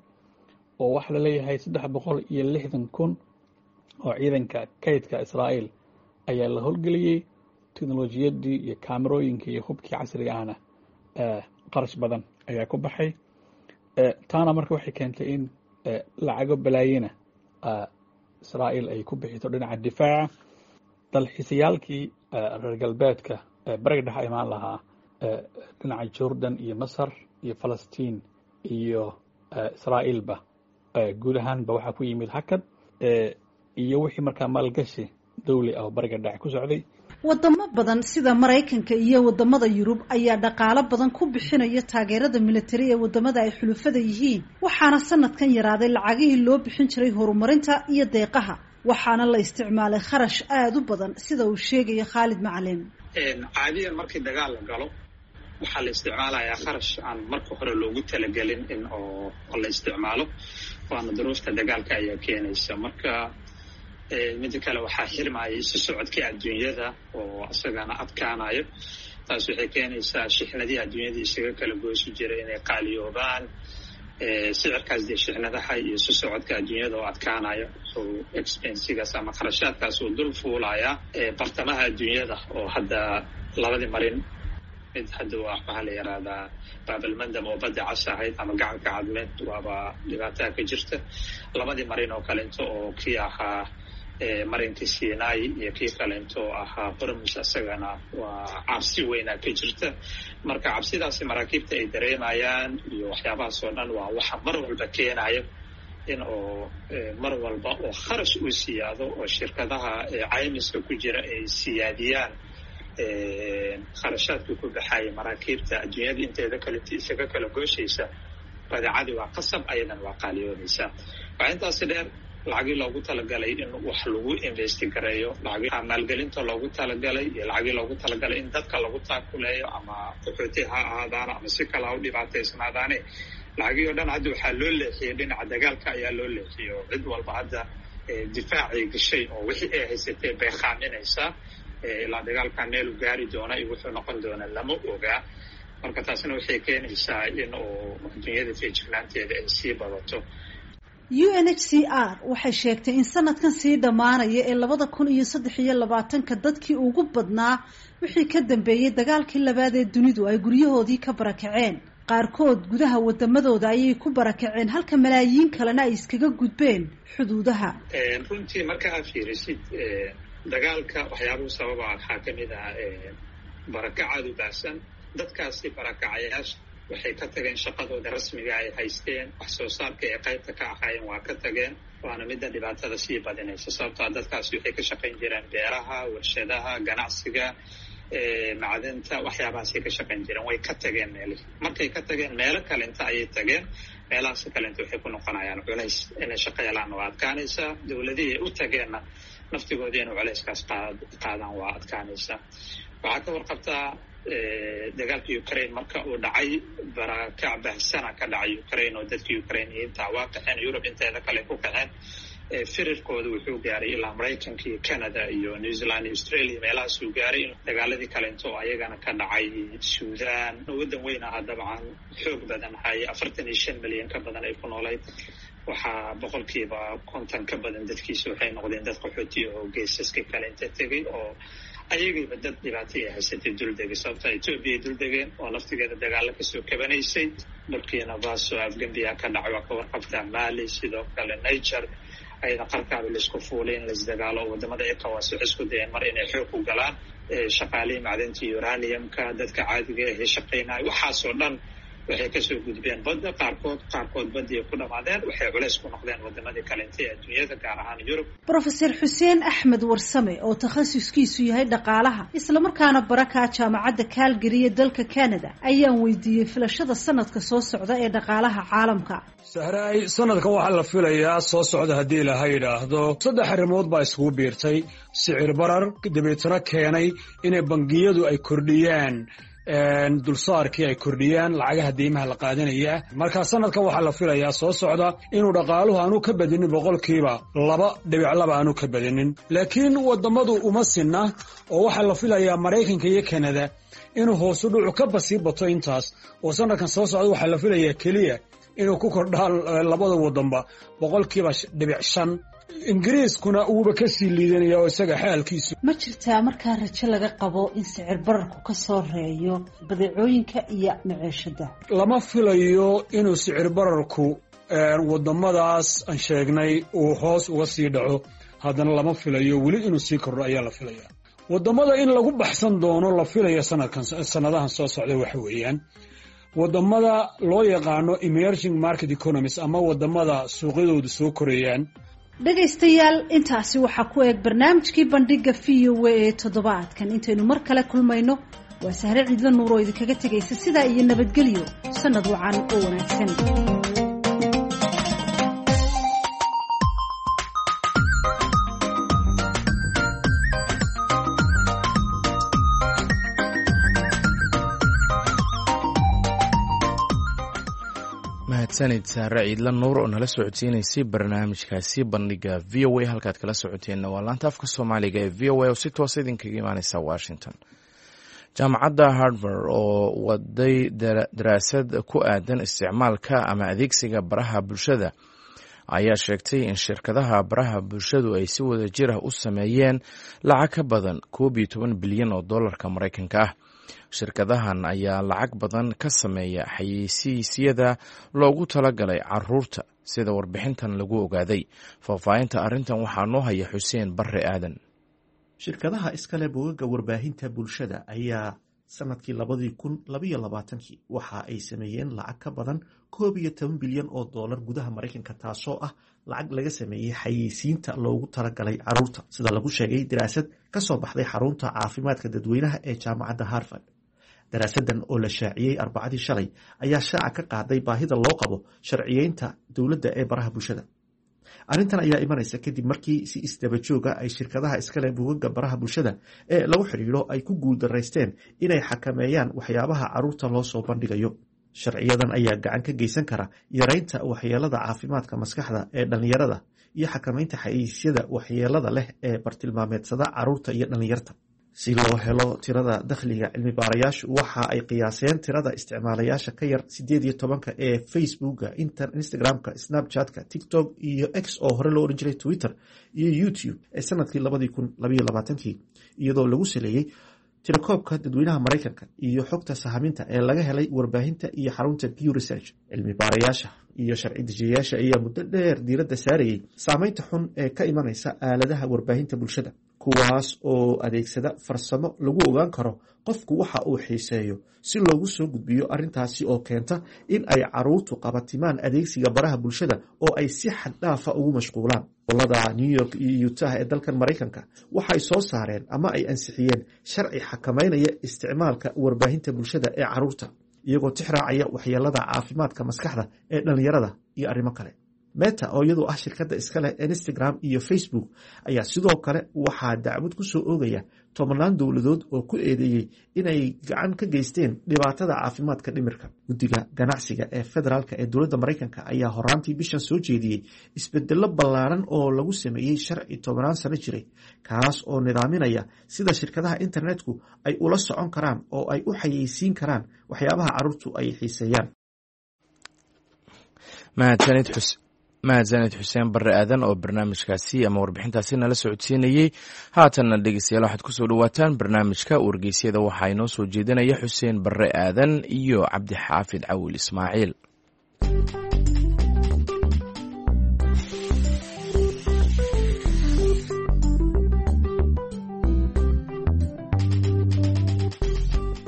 Speaker 3: oo waxaa la leeyahay 360,000 oo ciidanka kaydka Israa'iil ayaa la howlgeliyey, teknolojiyaddii iyo kaamerooyinkii iyo hubkii casriga ahna qarash badan ayaa ku baxay. Taana marka waxay keentay in lacago balaayina Israa'iil ay ku bixito dhinaca difaaca. Dalxiisayaalkii reer galbeedka Bariga Dhexe imaan lahaa dhinaca Jordan iyo Masar iyo Falastiin iyo Israa'iilba guud ahaanba waxaa ku yimid hakad iyo wixii markaa maalgashi dawli ah oo Bariga Dhexe ku socday.
Speaker 11: Wadamo badan sida Maraykanka iyo wadamada Yurub ayaa dhaqaalo badan ku bixinaya taageerada militari ee wadamada ay xulufada yihiin, waxaana sanadkan yaraaday lacagihii loo bixin jiray horumarinta iyo deeqaha, waxaana la isticmaalay kharash aada u badan, sida uu sheegayo Khaalid Macalin.
Speaker 12: Caadiyan markii dagaal la galo waxaa la isticmaalayaa kharash aan marka hore loogu talagelin in oo la isticmaalo, waana duruufta dagaalka ayaa keenaysa. Marka mida kale, waxaa xirmaya isu socodkii adduunyada oo isagana adkaanayo. Taas waxay keenaysaa shixnadihii adduunyada isaga kala goosi jiray inay qaaliyoobaan. Sicirkaas dee shixnadaha iyo isu socodka adduunyada oo adkaanayo wuxuu expensigaas ama kharashaadkaas uu dul fuulayaa bartamaha adduunyada, oo hadda labadii marin mid hadda waa waxaa la yidhaahdaa Baabalmandam oo Badda Cas ahayd ama Gacanka Cadmeed, waaba dhibaataa ka jirta. Labadii marin oo kalento oo kii ahaa marinkii Sinai iyo kii kalento oo ahaa Hormus, isagana waa cabsi weynaa ka jirta. Marka cabsidaasi maraakiibta ay dareemayaan iyo waxyaabahaas oo dhan waa waxa mar walba keenayo in oo mar walba oo kharash uu siyaado oo shirkadaha caymiska ku jira ay siyaadiyaan kharashaadkii ku baxaya maraakiibta adduunyada inteeda kale isaga kala gooshaysa. Badeecadii waa qasab, ayadan waa qaaliyoonaysaa. Waxaa intaasi dheer lacagii loogu talagalay in wax lagu investigareeyo, lacag maalgelinta loogu talagalay iyo lacagii loogu talagalay in dadka lagu taakuleeyo, ama qaxooti ha ahaadaana ama si kale ha u dhibaataysnaadaane, lacagii oo dhan hadda waxaa loo leexiyey dhinaca dagaalka ayaa loo leexiyey, oo cid walba hadda difaacay gashay oo wixii ay haysatee bay khaaminaysaa. Ilaa dagaalkan meelu gaari doona iyo wuxuu noqon doona lama ogaa. Marka taasna waxay keenaysaa in uu adduunyada feejignaanteeda ay sii badato.
Speaker 11: UNHCR waxay sheegtay in sanadkan sii dhammaanaya ee 2023-ka dadkii ugu badnaa wixii ka dambeeyey dagaalkii labaad ee dunidu ay guryahoodii ka barakaceen. Qaarkood gudaha wadamadooda ayay ku barakaceen, halka malaayiin kalena ay iskaga gudbeen xuduudaha.
Speaker 12: Runtii marka aad fiirisid dagaalka waxyaabuhu sababa waxaa ka mid ah barakacaad u baahsan dadkaasi barakacayaasha. Waxay ka tageen shaqadooda rasmiga ay haysteen, wax soo saarka ay qaybta ka ahaayeen waa ka tageen, waana midda dhibaatada sii badinaysa. Sababtoa dadkaasi waxay ka shaqayn jireen beeraha, warshadaha, ganacsiga, macdanta, waxyaabahaasay ka shaqayn jireen. Way ka tageen meelihii. Markay ka tageen meelo kalenta ayay tageen. Meelahaas kalenta waxay ku noqonayaan culays, inay shaqo helaan waa adkaanaysaa. Dowladihii ay u tageenna naftigoodii inay culayskaas qaadaan waa adkaanaysaa. Waxaa ka warqabtaa dagaalka Ukraine marka uu dhacay, barakac bahsana ka dhacay Ukraine oo dadka Ukrainiyiinta waa qaxeen, Yurub inteeda kale ku qaxeen. Firirkooda wuxuu gaaray ilaa Maraykanka iyo Canada iyo New Zealand iyo Australia, meelahaasuu gaaray. Dagaaladii kalento oo ayagana ka dhacay Sudan, waddan weyn ahaa dabcan, xoog badan haya, 45 milyan ka badan ay ku noolayd, waxaa 50% ka badan dadkiisa waxay noqdeen dad qaxooti oo geesaska kale inta tegay oo ayagiiba dad dhibaato ay haysatay duldegay. Sababta Etoobiya ay duldegeen oo laftigeeda dagaalo kasoo kabanaysay. Burkina Faso afgambiya ka dhacay, waa ka warqabtaa. Mali sidoo kale, Niger ayada qarkaaba laisku fuulay in laisdagaalo. Wadamada ECOWAS waxay isku dayeen mar inay xoog ku galaan shaqaalihii macdanta uraniumka, dadka caadiga ahee shaqaynaya. Waxaasoo dhan waxay kasoo gudbeen badda, qaarkood baddii ay ku dhamaadeen. Waxay culays ku noqdeen wadamadii kalenta ee adduunyada, gaar ahaan Yurub.
Speaker 11: Brofeser Xuseen Axmed Warsame oo takhasuskiisu yahay dhaqaalaha, islamarkaana barakaa jaamacadda Calgary ee dalka Canada, ayaan weydiiyey filashada sanadka soo socda ee dhaqaalaha caalamka.
Speaker 13: Sahraay, sanadkan waxaa la filayaa soo socda haddii ilaaha yidhaahdo saddex arrimood baa iskugu biirtay: sicir barar dabeetana keenay inay bangiyadu ay kordhiyaan dulsaarkii, ay kordhiyaan lacagaha deymaha la qaadanaya. Marka sanadkan waxaa la filayaa soo socda inuu dhaqaaluhu aanu ka badinin 2.2% aanu ka badinin. Laakiin wadamadu uma sinna, oo waxaa la filayaa Maraykanka iyo Kanada inuu hoosu dhucu ka basii bato intaas, oo sanadkan soo socda waxaa la filayaa keliya inuu ku kordhaan labada wadanba 0.5%. Ingiriiskuna uuba ka sii liidanaya oo isaga xaalkiisu.
Speaker 11: Ma jirtaa markaa rajo laga qabo in sicir bararku ka soo reeyo badeecooyinka iyo maciishada?
Speaker 13: Lama filayo inuu sicir bararku wadamadaas aan sheegnay uu hoos uga sii dhaco. Haddana lama filayo weli inuu sii kordho ayaa la filaya. Wadamada in lagu baxsan doono la filaya sanadkan, sanadahan soo socda, waxa weeyaan wadamada loo yaqaano emerging market economies ama wadamada suuqyadoodu soo korayaan.
Speaker 11: Dhegaystayaal, intaasi waxaa ku eeg barnaamijkii bandhiga VOA ee toddobaadkan. Intaynu mar kale kulmayno, waa Sahre Ciidla Nuur oo idinkaga tegaysa sidaa iyo nabadgelyo, sanad wacan oo wanaagsan.
Speaker 1: Mahadsanid Saare Ciidla Nuur oo nala socodsiinaysay barnaamijkaasi bandhiga VOA. Halkaad kala socoteenna waa laanta afka Soomaaliga ee VOA oo si toosa idinkaga imaaneysa Washington. Jaamacadda Harvard oo waday daraasad ku aadan isticmaalka ama adeegsiga baraha bulshada ayaa sheegtay in shirkadaha baraha bulshadu ay si wada jir ah u sameeyeen lacag ka badan 11 bilyan oo dollarka Maraykanka ah. Shirkadahan ayaa lacag badan ka sameeya xayeysiisyada loogu talagalay caruurta, sida warbixintan lagu ogaaday. Faahfaahinta arrintan waxaa noo haya Xuseen Barre Aadan.
Speaker 14: Shirkadaha iskale bogagga warbaahinta bulshada ayaa sanadkii 2022-kii waxa ay sameeyeen lacag ka badan 11 bilyan oo doolar gudaha Maraykanka, taasoo ah lacag laga sameeyey xayeysiinta loogu talagalay caruurta, sida lagu sheegay daraasad ka soo baxday xarunta caafimaadka dadweynaha ee jaamacadda Harvard. Daraasadan oo la shaaciyey Arbacadii shalay ayaa shaaca ka qaaday baahida loo qabo sharciyeynta dowladda ee baraha bulshada. Arrintan ayaa imanaysa kadib markii si isdaba jooga ay shirkadaha iskale bugaga baraha bulshada ee lagu xidhiidho ay ku guuldaraysteen inay xakameeyaan waxyaabaha caruurta loo soo bandhigayo. Sharciyadan ayaa gacan ka geysan kara yareynta waxyeelada caafimaadka maskaxda ee dhallinyarada iyo xakameynta xayeysiisyada waxyeelada leh ee bartilmaameedsada caruurta iyo dhallinyarta. Si loo helo tirada dakhliga, cilmi baarayaashu waxa ay qiyaaseen tirada isticmaalayaasha ka yar 18-ka ee Facebooka, Instagramka, Snapchatka, TikTok iyo X oo hore loo ohan jiray Twitter iyo YouTube ee sanadkii 2022-kii, iyadoo lagu saleeyey tirakoobka dadweynaha Maraykanka iyo xogta sahaminta ee laga helay warbaahinta iyo xarunta Pew Research. Cilmi baarayaasha iyo sharci dejiyayaasha ayaa muddo dheer diiradda saarayay saameynta xun ee ka imanaysa aaladaha warbaahinta bulshada, Kuwaas oo adeegsada farsamo lagu ogaan karo qofku waxa uu xiiseeyo si loogu soo gudbiyo, arrintaasi oo keenta in ay caruurtu qabatimaan adeegsiga baraha bulshada oo ay si xad dhaafa ugu mashquulaan. Gobolada New York iyo Utah ee dalkan Maraykanka waxay soo saareen ama ay ansixiyeen sharci xakameynaya isticmaalka warbaahinta bulshada ee caruurta, iyagoo tixraacaya waxyeelada caafimaadka maskaxda ee dhalinyarada iyo arrimo kale. Meta, oo iyadoo ah shirkadda iska leh Instagram iyo Facebook, ayaa sidoo kale waxaa dacwad ku soo oogaya tobanaan dowladood oo ku eedeeyey inay gacan ka geysteen dhibaatada caafimaadka dhimirka. Guddiga ganacsiga ee federaalka ee dowladda Maraykanka ayaa horaantii bishan soo jeediyey isbedelo ballaaran oo lagu sameeyey sharci 10-aan sano jiray, kaas oo nidaaminaya sida shirkadaha internetku ay ula socon karaan oo ay u xayeysiin karaan waxyaabaha carruurtu ay xiiseeyaan.
Speaker 1: Mahadsanid Xuseen Barre Aadan oo barnaamijkaasi ama warbixintaasi nala socodsiinayey. Haatanna dhegeystayaal, waxaad kusoo dhawaataan barnaamijka wargeysyada. Waxaa inoo soo jeedinaya Xuseen Barre Aadan iyo Cabdixaafid Cawil Ismaaciil.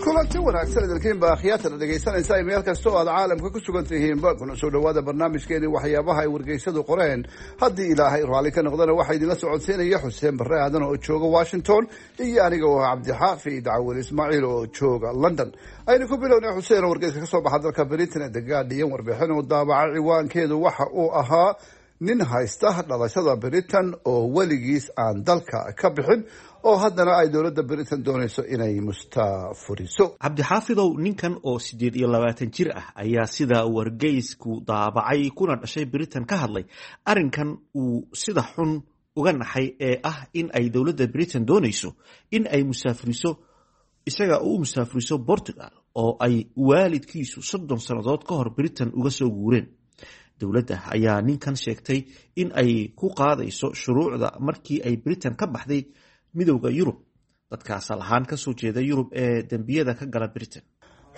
Speaker 9: Kulanti wanaagsan idinkiinba akhyaatana dhegaysanaysa meel kasta oo aad caalamka ku sugan tihiinba, kuna soo dhawaada barnaamijkeeni waxyaabaha ay wargeysadu qoreen. Haddii Ilaahay raalli ka noqdana, waxaa idinla socodsiinaya Xuseen Barre Aadan oo jooga Washington iyo aniga oo ah Cabdixaafid Cawil Ismaaciil oo jooga London. Aynu ku bilownay, Xuseen, oo wargeyska kasoo baxa dalka Britain ee The Guardian warbixin uu daabacay ciwaankeedu waxa uu ahaa nin haysta dhalashada Britain oo weligiis aan dalka ka bixin oo haddana ay dowladda Britain doonayso inay mustaafuriso.
Speaker 14: Cabdixaafidow, ninkan oo 28 jir ah ayaa sida wargeysku daabacay kuna dhashay Britain ka hadlay arrinkan uu sida xun uga naxay ee ah in ay dowladda Britain doonayso in ay musaafuriso, isaga u musaafuriso Portugal oo ay waalidkiisu 30 sannadood ka hor Britain uga soo guureen. Dowladda ayaa ninkan sheegtay in ay ku qaadayso shuruucda markii ay Britain ka baxday Midowda Yurub dadka asal ahaan kasoo jeeda Yurub ee dembiyada ka gala Britain.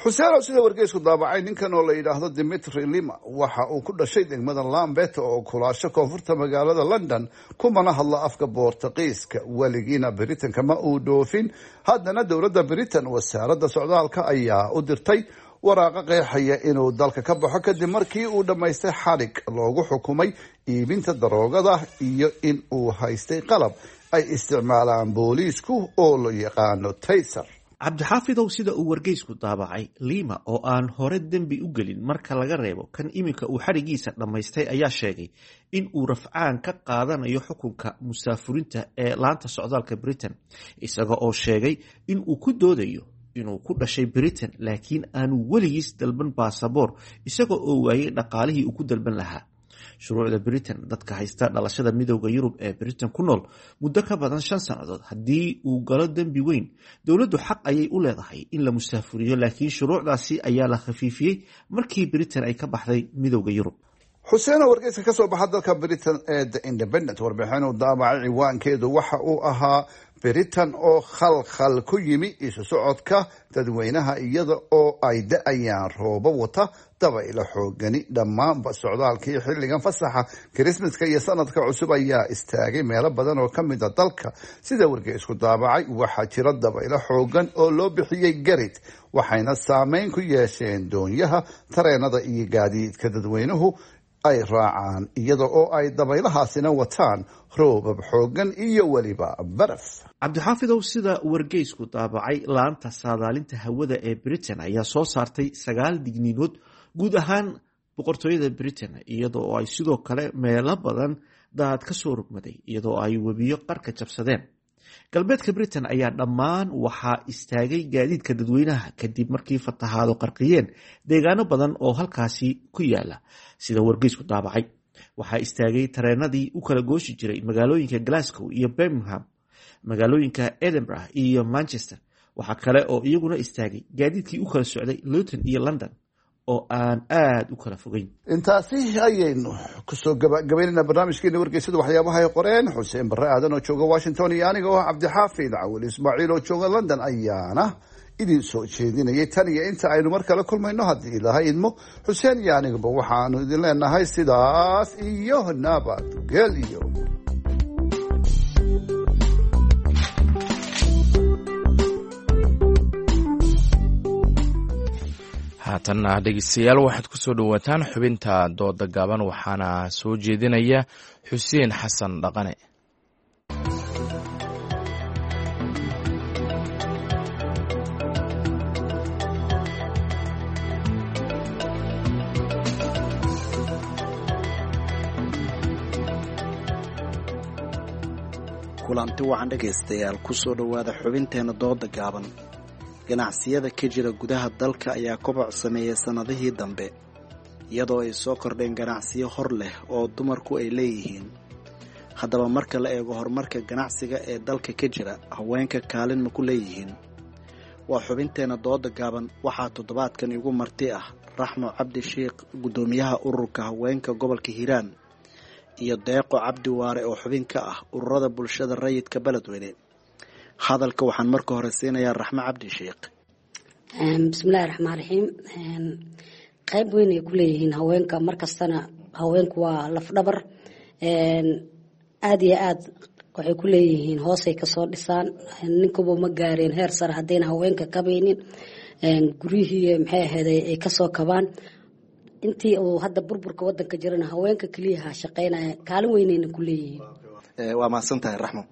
Speaker 9: Xuseen, oo sida wargeysku daabacay, ninkan oo la yidhaahdo Dimitri Lima waxa uu ku dhashay degmada Lambeth oo kulaasho koonfurta magaalada London, kumana hadla afka Boortaqiiska, weligiina Britain kama uu dhoofin. Haddana dowladda Britain, wasaaradda socdaalka, ayaa u dirtay waraaqo qeexaya inuu dalka ka baxo kadib markii uu dhammaystay xadhig loogu xukumay iibinta daroogada iyo in uu haystay qalab ay isticmaalaan booliisku oo la yaqaano taser.
Speaker 14: Cabdixaafidow, sida uu wargeysku daabacay, Lima oo aan hore dembi u gelin marka laga reebo kan iminka uu xadhigiisa dhammaystay ayaa sheegay in uu rafcaan ka qaadanayo xukunka musaafurinta ee laanta socdaalka Britain, isaga oo sheegay in uu ku doodayo inuu ku dhashay Britain laakiin aanu weligiis dalban baasaboor, isaga oo waayey dhaqaalihii uu ku dalban lahaa. Shuruucda Britain, dadka haysta dhalashada Midowda Yurub ee Britain ku nool muddo ka badan 5 sannadood haddii uu galo dembi weyn, dowladdu xaq ayay u leedahay in la musaafuriyo, laakiin shuruucdaasi ayaa la khafiifiyey markii Britain ay ka baxday Midowda Yurub.
Speaker 9: Xuseen, oo wargeyska ka soo baxa dalka Britain ee The Independent warbixin uu daabacay ciwaankeedu waxa uu ahaa Britain oo khalkhal ku yimi isu socodka dadweynaha iyada oo ay da-ayaan roobo wata dabaylo xoogani. Dhammaanba socdaalkii xilligan fasaxa Kirismaska iyo sanadka cusub ayaa istaagay meelo badan oo ka mid a dalka. Sida wargeysku daabacay, waxaa jira dabaylo xoogan oo loo bixiyey Gerrit, waxayna saameyn ku yeesheen doonyaha, tareenada iyo gaadiidka dadweynuhu ay raacaan, iyada oo ay dabaylahaasina wataan roobab xoogan iyo weliba baraf.
Speaker 14: Cabdixaafidow, sida wargeysku daabacay, laanta saadaalinta hawada ee Britain ayaa soo saartay sagaal digniinood guud ahaan boqortooyada Britain, iyadoo ay sidoo kale meelo badan daad ka soo rogmaday iyadoo ay webiyo qarka jabsadeen. Galbeedka Britain ayaa dhammaan waxaa istaagay gaadiidka dadweynaha kadib markii fatahaado qarqiyeen deegaano badan oo halkaasi ku yaala. Sida wargeysku daabacay, waxaa istaagay tareenadii u kala gooshi jiray magaalooyinka Glasgow iyo Birmingham, magaalooyinka Edinburgh iyo Manchester. Waxaa kale oo iyaguna istaagay gaadiidkii u kala socday Luton iyo London oo aan aada u kala fogeyn.
Speaker 9: Intaasi ayaynu kusoo gabagabaynayna barnaamijkeena wargeysada waxyaabaha ay qoreen. Xuseen Barre Aadan oo jooga Washington iyo aniga oo Cabdixaafid Cawil Ismaaciil oo jooga London ayaana idin soo jeedinayay. Tan iyo inta aynu mar kale kulmayno, haddii Ilaahay idmo, Xuseen iyo aniguba waxaanu idin leenahay sidaas iyo nabadgelyo.
Speaker 1: Haatanna dhegeystayaal, waxaad ku soo dhowaataan xubinta dooda gaaban, waxaana soo jeedinaya Xuseen Xasan Dhaqane.
Speaker 15: Kulanti wacan dhegaystayaal, kusoo dhowaada xubinteena dooda gaaban. Ganacsiyada ka jira gudaha dalka ayaa koboc sameeyay sannadihii dambe, iyadoo ay soo kordheen ganacsiyo hor leh oo dumarku ay leeyihiin. Haddaba marka la eego horumarka ganacsiga ee dalka ka jira, haweenka kaalin ma ku leeyihiin? Waa xubinteena dooda gaaban. Waxaa toddobaadkan igu marti ah Raxmo Cabdi Sheikh, guddoomiyaha ururka haweenka gobolka Hiiraan, iyo Deeqo Cabdi Waare oo xubin ka ah ururada bulshada rayidka Beledweyne. Hadalka waxaan marka hore siinayaa Raxmo Cabdi Sheikh.
Speaker 16: Bismillahi raxmaan raxiim. Qayb weyn ay ku leeyihiin haweenka. Markastana haweenku waa lafdhabar, aada iyo aad waxay ku leeyihiin. Hoosay kasoo dhisaan, ninkuba ma gaareen heer sare haddayna haweenka kabaynin guryihii, maxay ahayd, ay kasoo kabaan. Intii uu hadda burburka wadanka jirana haweenka keliyaha shaqeynaya, kaalin weynayna ku leeyihiin.
Speaker 15: Waa mahadsan tahay, Raxmo.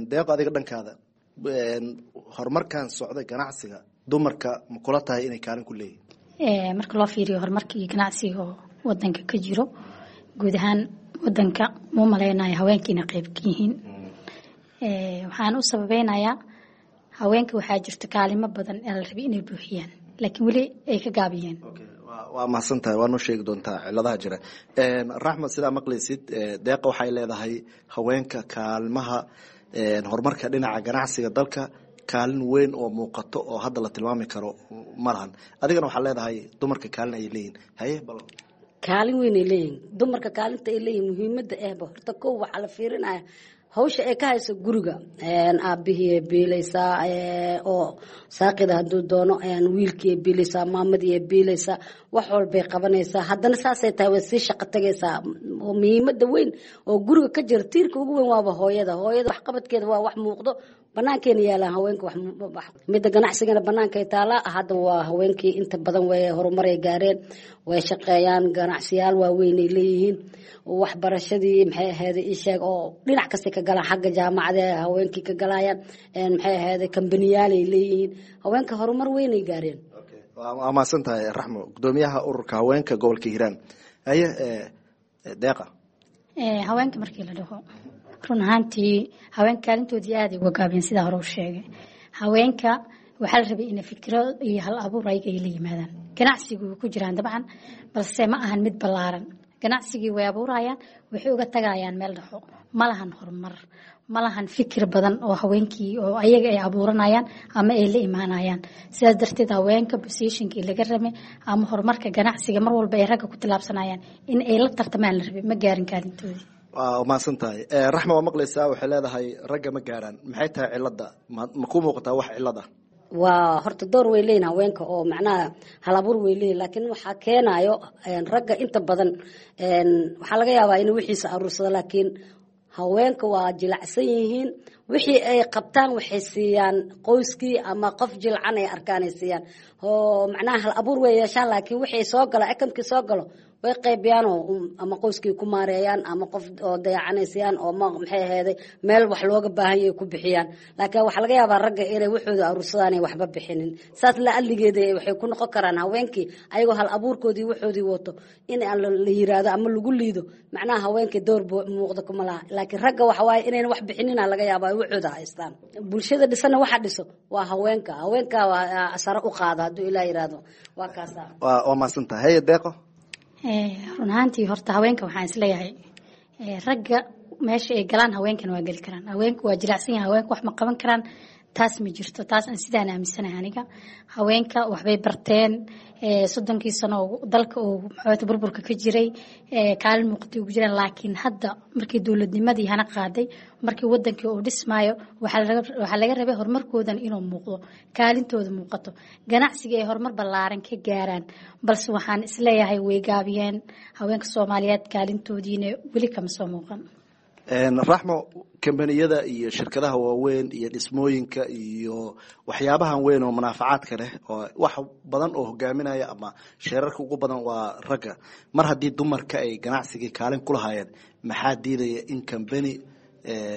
Speaker 15: Deeqo, adiga dhankaada, horumarkan socda ganacsiga dumarka ma kula tahay inay kaalin ku leeyihiin?
Speaker 17: Marka loo fiiriyo horumarka iyo ganacsiga oo wadanka ka jiro guud ahaan wadanka, muu maleynayo haweenka inay qayb ka yihiin. Waxaan u sababeynayaa, haweenka waxaa jirta kaalimo badan ee la rabay inay buuxiyaan, laakiin weli ay ka gaabiyeen.
Speaker 15: Waa mahadsan tahay, waa noo sheegi doontaa ciladaha jira. Raxmed, sidaa maqlaysid, Deeqa waxay leedahay haweenka kaalmaha horumarka dhinaca ganacsiga dalka kaalin weyn oo muuqato oo hadda la tilmaami karo ma lahan. Adigana waxaa leedahay dumarka kaalin ayay leeyihin. Haye bal.
Speaker 16: Kaalin weyn ay leeyihin dumarka. Kaalinta ay leeyihin muhiimada ehba horta kow waxaa la fiirinaya hawsha ay ka hayso guriga. Aabihii ay biilaysaa oo saaqida hadduu doono, wiilkii ay biilaysaa, maamadii ay biilaysaa, wax walbay qabanaysaa. Haddana saasay tahay way sii shaqo tagaysaa. Muhiimada weyn oo guriga ka jira, tiirka ugu weyn waaba hooyada. Hooyada waxqabadkeeda waa wax muuqdo, banaankeena yaalaan. Haweenka midda ganacsigana banaankay taalaa. Hadda waa haweenkii inta badan way horumaray gaareen, way shaqeeyaan, ganacsiyaal waaweyn ay leeyihiin. Waxbarashadii, maxay ahayd, isheeg oo dhinac kasta ka galaan, xagga jaamacada haweenkii ka galayaan, maxay ahayd, kambaniyaal ay leeyihiin. Haweenka horumar weyn ay gaareen.
Speaker 15: Waa mahadsan tahay, Raxmo, gudoomiyaha ururka haweenka gobolka Hiiraan. Haye Deeqa.
Speaker 17: Haweenka markii la dhaho, run ahaantii haweenka kaalintoodii aaday uga gaabiyeen. Sidaa hore u sheegay, haweenka waxaa la rabay inay fikiro iyo hal abuur ayaga ay la yimaadaan. Ganacsigu way ku jiraan dabcan, balse ma ahan mid ballaaran. Ganacsigii way abuurayaan, waxay uga tagayaan meel dhexo. Ma lahan horumar, ma lahan fikir badan oo haweenkii oo ayaga ay abuuranayaan ama ay la imaanayaan. Sidaas darteed haweenka positionkii laga rabay ama horumarka ganacsiga mar walba ay ragga ku tillaabsanayaan in ay la tartamaan la rabay, ma gaarin kaalintoodii.
Speaker 15: Waa mahadsan tahay, Raxma. Waa maqlaysaa, waxay leedahay ragga ma gaaraan. Maxay tahay cilada? Ma kuu muuqataa wax cilad ah?
Speaker 16: Waa horta door way leeyihin haweenka oo macnaha halabuur way leeyihin, laakiin waxaa keenayo ragga inta badan waxaa laga yaabaa inuu wixiisa aruursado, laakiin haweenka waa jilacsan yihiin. Wixii ay qabtaan waxay siiyaan qoyskii ama qof jilcan ay arkaan ay siiyaan, oo macnaha hal abuur way yeeshaan, laakiin wixii soo galo, akamkii soo galo, way qaybiyaanoo ama qoyskii ku maareeyaan ama qof oo dayacanay siiyaan oo maxay ahayday meel wax looga baahan yahay ku bixiyaan. Laakiin waxaa laga yaabaa ragga inay waxooda aruursadaan ay waxba bixinin. Saas la alligeeda waxay ku noqon karaan haweenkii ayagoo hal abuurkoodii waxoodii wato in aan la yiraahdo ama lagu liido, macnaha haweenkii door muuqda kuma laha. Laakiin ragga waxa waaye inayna wax bixinina laga yaabaa, ay waxooda haystaan. Bulshada dhisana waxa dhiso waa haweenka. Haweenka waa sare u qaada hadduu Ilaah yiraahdo, waa kaasa.
Speaker 15: Waa mahadsan tahay. Haye Deeqo.
Speaker 17: Run ahaantii horta haweenka waxaan isleeyahay, ragga meesha ay galaan haweenkana waa geli karaan. Haweenku waa jilicsan yahay, haweenku wax ma qaban karaan, taas ma jirto. Taas aan sidaan aaminsanahay aniga. Haweenka waxbay barteen 30kii sano oo dalka uu maxaa burburka ka jiray, kaalin muuqatay ugu jiraan. Laakiin hadda markii dowladnimadii hana qaaday, markii wadankii uu dhismaayo, waxaa laga rabay horumarkoodan inuu muuqdo, kaalintooda muuqato, ganacsiga ay horumar ballaaran ka gaaraan. Balse waxaan isleeyahay way gaabiyeen haweenka Soomaaliyeed, kaalintoodiina weli kama soo muuqan.
Speaker 15: Raxmo, kambaniyada iyo shirkadaha waaweyn iyo dhismooyinka iyo waxyaabahan weyn oo munaafacaadka leh oo wax badan oo hogaaminaya ama sheerarka ugu badan waa ragga. Mar haddii dumarka ay ganacsigii kaalin ku lahaayeen, maxaa diidaya in kambani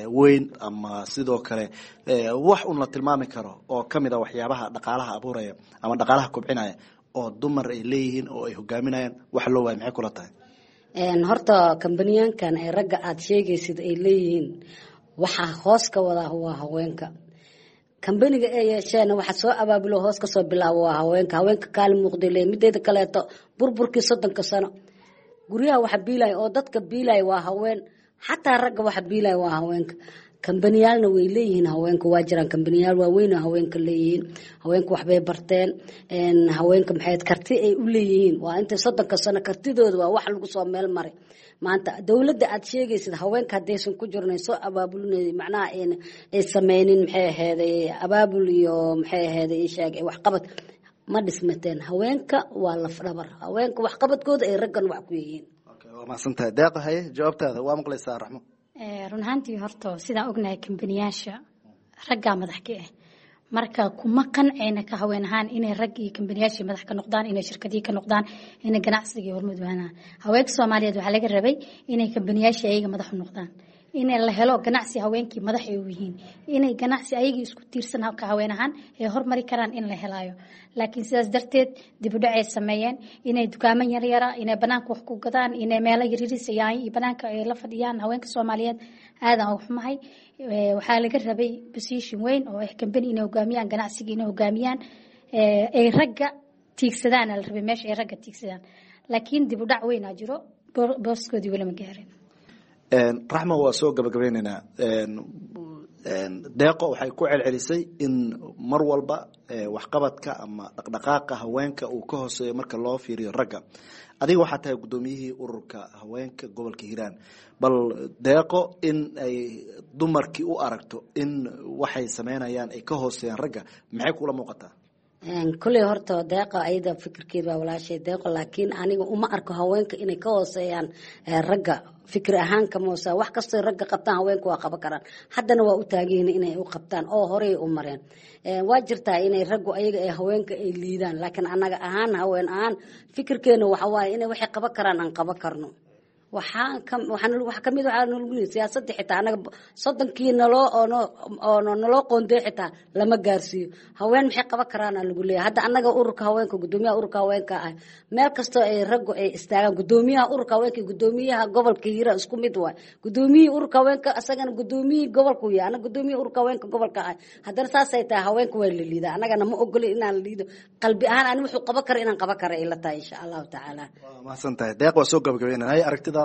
Speaker 15: weyn ama sidoo kale wax un la tilmaami karo oo kamid a waxyaabaha dhaqaalaha abuuraya ama dhaqaalaha kobcinaya oo dumar ay leeyihiin oo ay hogaaminayaan wax loo waaya? Maxay kula tahay?
Speaker 16: Horta kambaniyaankan ee ragga aada sheegaysid ay leeyihiin, waxaa hoos ka wadaa waa haweenka. Kambaniga ay yeesheen waxa soo abaabulo, hoos kasoo bilaabo waa haweenka. Haweenka kaalin muuqday leeyihin. Mideeda kaleeto, burburkii 30-ka sano guryaha waxa biilaya oo dadka biilaya waa haween, xataa ragga waxa biilaya waa haweenka. Kambaniyaalna way leeyihiin haweenka, waa jiraan kambaniyaal waaweyn oo haweenka leeyihiin. Haweenka waxbay barteen. Haweenka maxay karti ay u leeyihiin waa intay 30-ka sano kartidooda waa wax lagu soo meel maray. Maanta dowladda aad sheegaysid, haweenka haddaysan ku jirnay soo abaabulinay, macnaha ay sameynin, maxay aheeday, abaabul iyo maxay aheeday sheeg waxqabad, ma dhismateen. Haweenka waa lafdhabar, haweenka waxqabadkooda ay raggan wax ku yihiin.
Speaker 15: Waa mahadsantahay, Deeqa. Haye, jawaabtaada waa maqlaysaa, Raxmo.
Speaker 17: Run ahaantii horta sidaan ognahay, kambaniyaasha raggaa madax ka ah. Marka kuma qanceyna ka haween ahaan inay rag iyo kambaniyaashii madax ka noqdaan, inay shirkadihii ka noqdaan, inay ganacsigii hormuud waanaan. Haweenka Soomaaliyeed waxaa laga rabay inay kambaniyaashii ayaga madax u noqdaan, inay la helo ganacsi haweenkii madax ay u yihiin, inay ganacsi ayagii isku tiirsan ka haween ahaan ay hormari karaan in la helaayo. Laakiin sidaas darteed dib u dhac ay sameeyeen, inay dukaamo yaryara, inay banaanka wax ku gadaan, inay meelo yaryariis iyo banaanka ay la fadhiyaan. Haweenka Soomaaliyeed aadaan uga xumahay. Waxaa laga rabay position weyn oo ah kambani inay hogaamiyaan, ganacsiga inay hogaamiyaan, ay ragga tiigsadaan la rabay, meesha ay ragga tiigsadaan. Laakiin dib u dhac weynaa jiro, booskoodii weli ma gaarin.
Speaker 15: Raxma, waa soo gabagabeyneynaa. Deeqo waxay ku celcelisay in mar walba waxqabadka ama dhaqdhaqaaqa haweenka uu ka hooseeyo marka loo fiiriyo ragga. Adiga waxaa tahay guddoomiyihii ururka haweenka gobolka Hiiraan. Bal Deeqo in ay dumarkii u aragto in waxay sameynayaan ay ka hooseeyaan ragga, maxay kula muuqataa?
Speaker 16: Kolley horta Deeqa ayada fikirkeed waa walaashay Deeqo, laakiin aniga uma arko haweenka inay ka hooseeyaan ragga. Fikir ahaan kama hooseeya. Wax kastoo ragga qabtaan haweenka waa qaban karaan, haddana waa u taaganyihiin inay u qabtaan oo horey u mareen. Waa jirtaa inay raggu ayaga ee haweenka ay liidaan, laakiin anaga ahaan, haween ahaan, fikirkeena waxa waaye inay waxay qaban karaan aan qaban karno. Waxaa kamid waxaa nalagu yiri siyaasadda xitaa anaga 30-kii naloo oo naloo qoondey xitaa lama gaarsiiyo. Haween maxay qaban karaana lagu leeyahay. Hadda anaga ururka haweenka, guddoomiyaha ururka haweenka ah, meel kastoo ay raggu ay istaagaan, guddoomiyaha ururka haweenka iyo guddoomiyaha gobolka Hiiraan isku mid waay. Guddoomiyihii ururka haweenka asagana guddoomiyihii gobolku yahay, anaga guddoomiyihii ururka haweenka gobolka ah. Haddana saasay tahay haweenka waa la liidaa, anagana ma ogolin inaan la liido. Qalbi ahaan ani wuxuu qaban kara inaan qaban kara ila tahay, insha Allahu tacaala.
Speaker 15: Waa mahadsan tahay, Deeq. Waa soo gabagabeynaa. Haye, aragtidaada.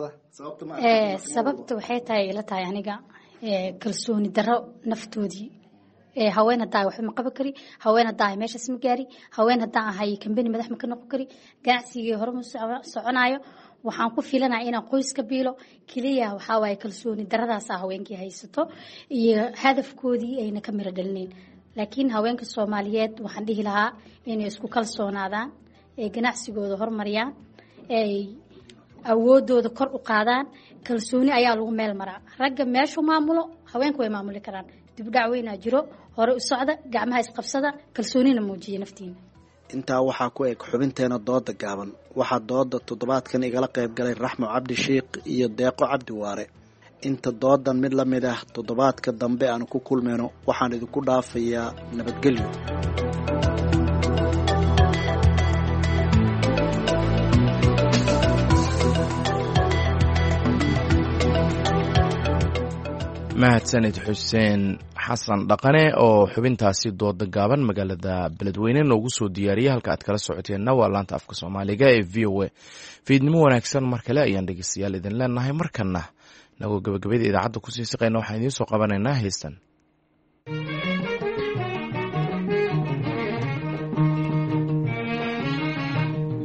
Speaker 17: Sababta waxay tahay ila tahay aniga kalsooni darro naftoodii. Haween haddaa waxba ma qaban kari, haween haddaa ahay meeshaas ma gaari, haween haddaan ahay kambani madax ma ka noqon kari, ganacsigii hore ma soconaayo, waxaan ku filanaya inaan qoys ka biilo keliya. Waxaa waaye kalsooni daradaasa haweenkii haysato iyo hadafkoodii ayna ka miro dhalinayn. Laakiin haweenka Soomaaliyeed waxaan dhihi lahaa inay isku kalsoonaadaan, ay ganacsigooda horumariyaan, ay awoodooda kor u qaadaan. Kalsooni ayaa lagu meel maraa. Ragga meeshuu maamulo haweenku way maamuli karaan. Dibudhac weynaa jiro, hore u socda, gacmaha isqabsada, kalsoonina muujiya naftiina.
Speaker 15: Intaa waxaa ku eg xubinteena dooda gaaban. Waxaa dooda toddobaadkan igala qayb galay Raxmo Cabdi Sheikh iyo Deeqo Cabdi Waare. Inta doodan mid la mid ah toddobaadka dambe aanu ku kulmayno, waxaan idinku dhaafayaa nabadgelyo.
Speaker 1: Mahadsanid Xuseen Xasan Dhaqane oo xubintaasi dooda gaaban magaalada Beledweyne noogu soo diyaariyay. Halka aad kala socoteenna waa laanta afka Soomaaliga ee VOA. Fiidnimo wanaagsan mar kale ayaan dhegeystayaal idin leenahay. Markana nagoo gabagabada idaacadda kusii siqayna, waxaan idiin soo qabanaynaa heystan.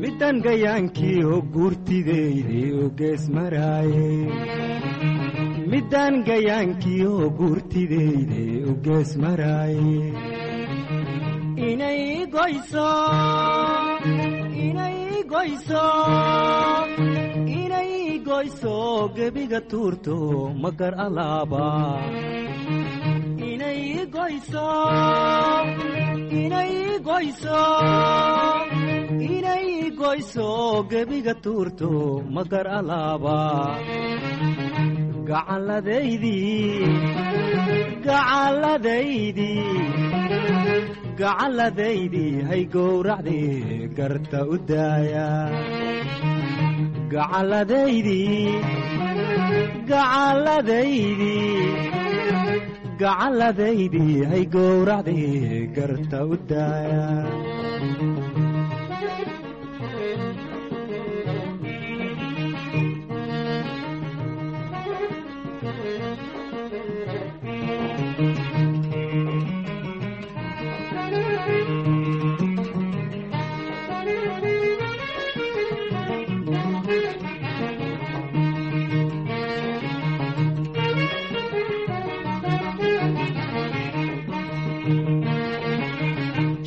Speaker 18: Midan gayaankiiho guurtideyde u gees maraaye, midaan gayaankiiho guurtideyde u gees maraaye, inay goyso, inay goyso, inay. Goyso gebiga tuurto magar alaaba inay goyso inay goyso inay goyso gebiga tuurto magar alaaba gacalladaydii gacalladaydii gacalladaydii hay gowracdii garta u daaya gacalladaydii gacalladaydii gacalladaydii hay gowracdii garta u daaya.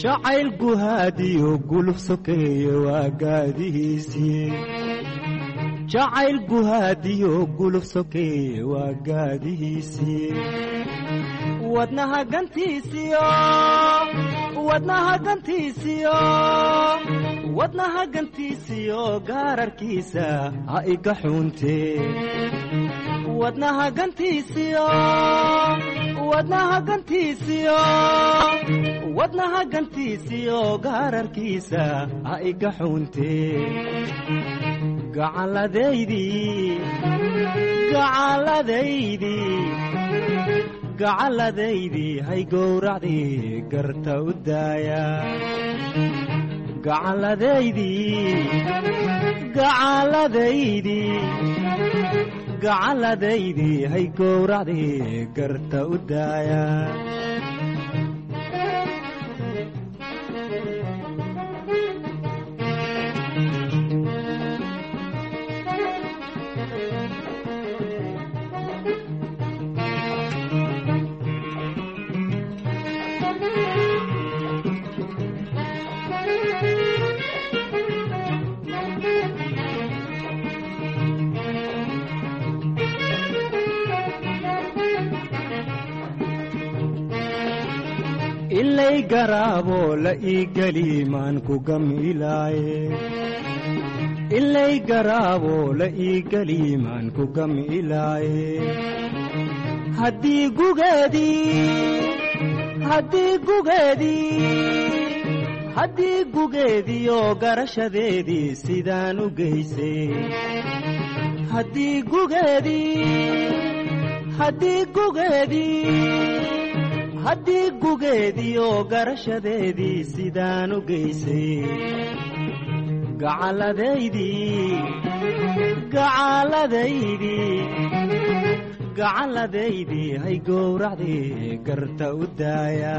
Speaker 18: Jacayl guhaadiyo guluf sokeeye waa gaadihiisii, jacayl guhaadiyo guluf sokeeye waa gaadihiisii, wadnaha gantiisiyo wadnaha gantiisiyo wadnaha gantiisiyo gaararkiisa ha iga xuuntee, wadnaha gantiisiyo wadnaha gantiisiyo wadnaha gantiisiyo gaararkiisa ha iga xuuntee, gacalladaydii gacalladaydii gacalladaydii hay gowracdii garta u daaya, gacalladaydii gacalladaydii gacalladaydii hay gowracdii garta u daaya. Ilay garaabo la ii geli maan ku gamilaaye, ilay garaabo la ii geli maan ku gamilaaye, haddii gugeedii haddii gugeedii haddii gugeediyo garashadeedii sidaan u geysay, haddii gugeedii haddii gugeedii haddii gugeediyo garashadeedii sidaan u geysay, gacalladaydii gacalladaydii gacalladaydii hay gowracdii garta u daaya,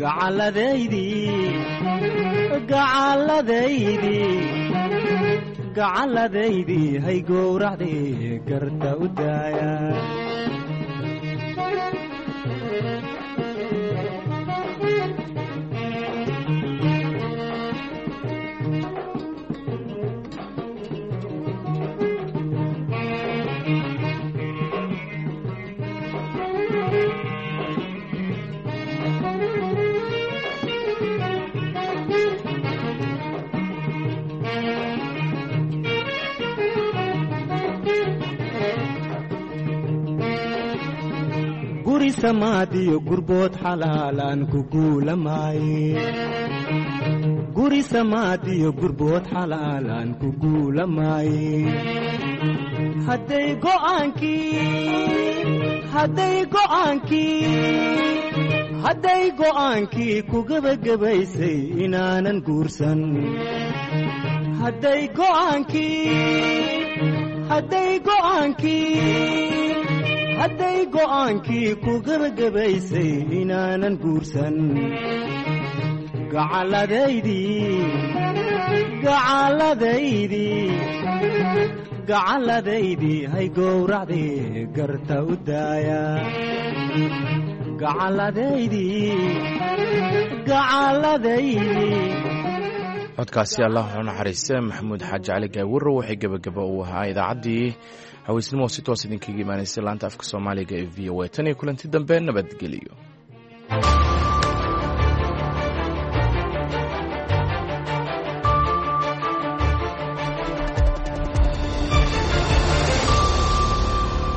Speaker 18: gacalladaydii gacalladaydii gacalladaydii hay gowracdii garta u daaya. Guri samaadiyo gurbood xalaalaan ku guulamaaye, guri samaadiyo gurbood xalaalaan ku guulamaaye, hadday go'aankii hadday go'aankii hadday go'aankii ku gebagabaysay inaanan guursan, hadday go'aankii hadday go'aankii hadday go'aankii ku gebagabaysay inaanan guursan, gacalladaydii gacalladaydii gacalladaydii hay gowracdii garta u daaya, gacalladaydii gacalladaydii.
Speaker 1: Codkaasi allah u naxariiste Maxamuud Xaaji Cali Gaawiro waxay gebagaba uu ahaa idaacaddii haweysnimo oo si toos idinkaga imaanaysay laanta afka Soomaaliga ee VOA. Tan iyo kulanti dambe, nabadgeliyo.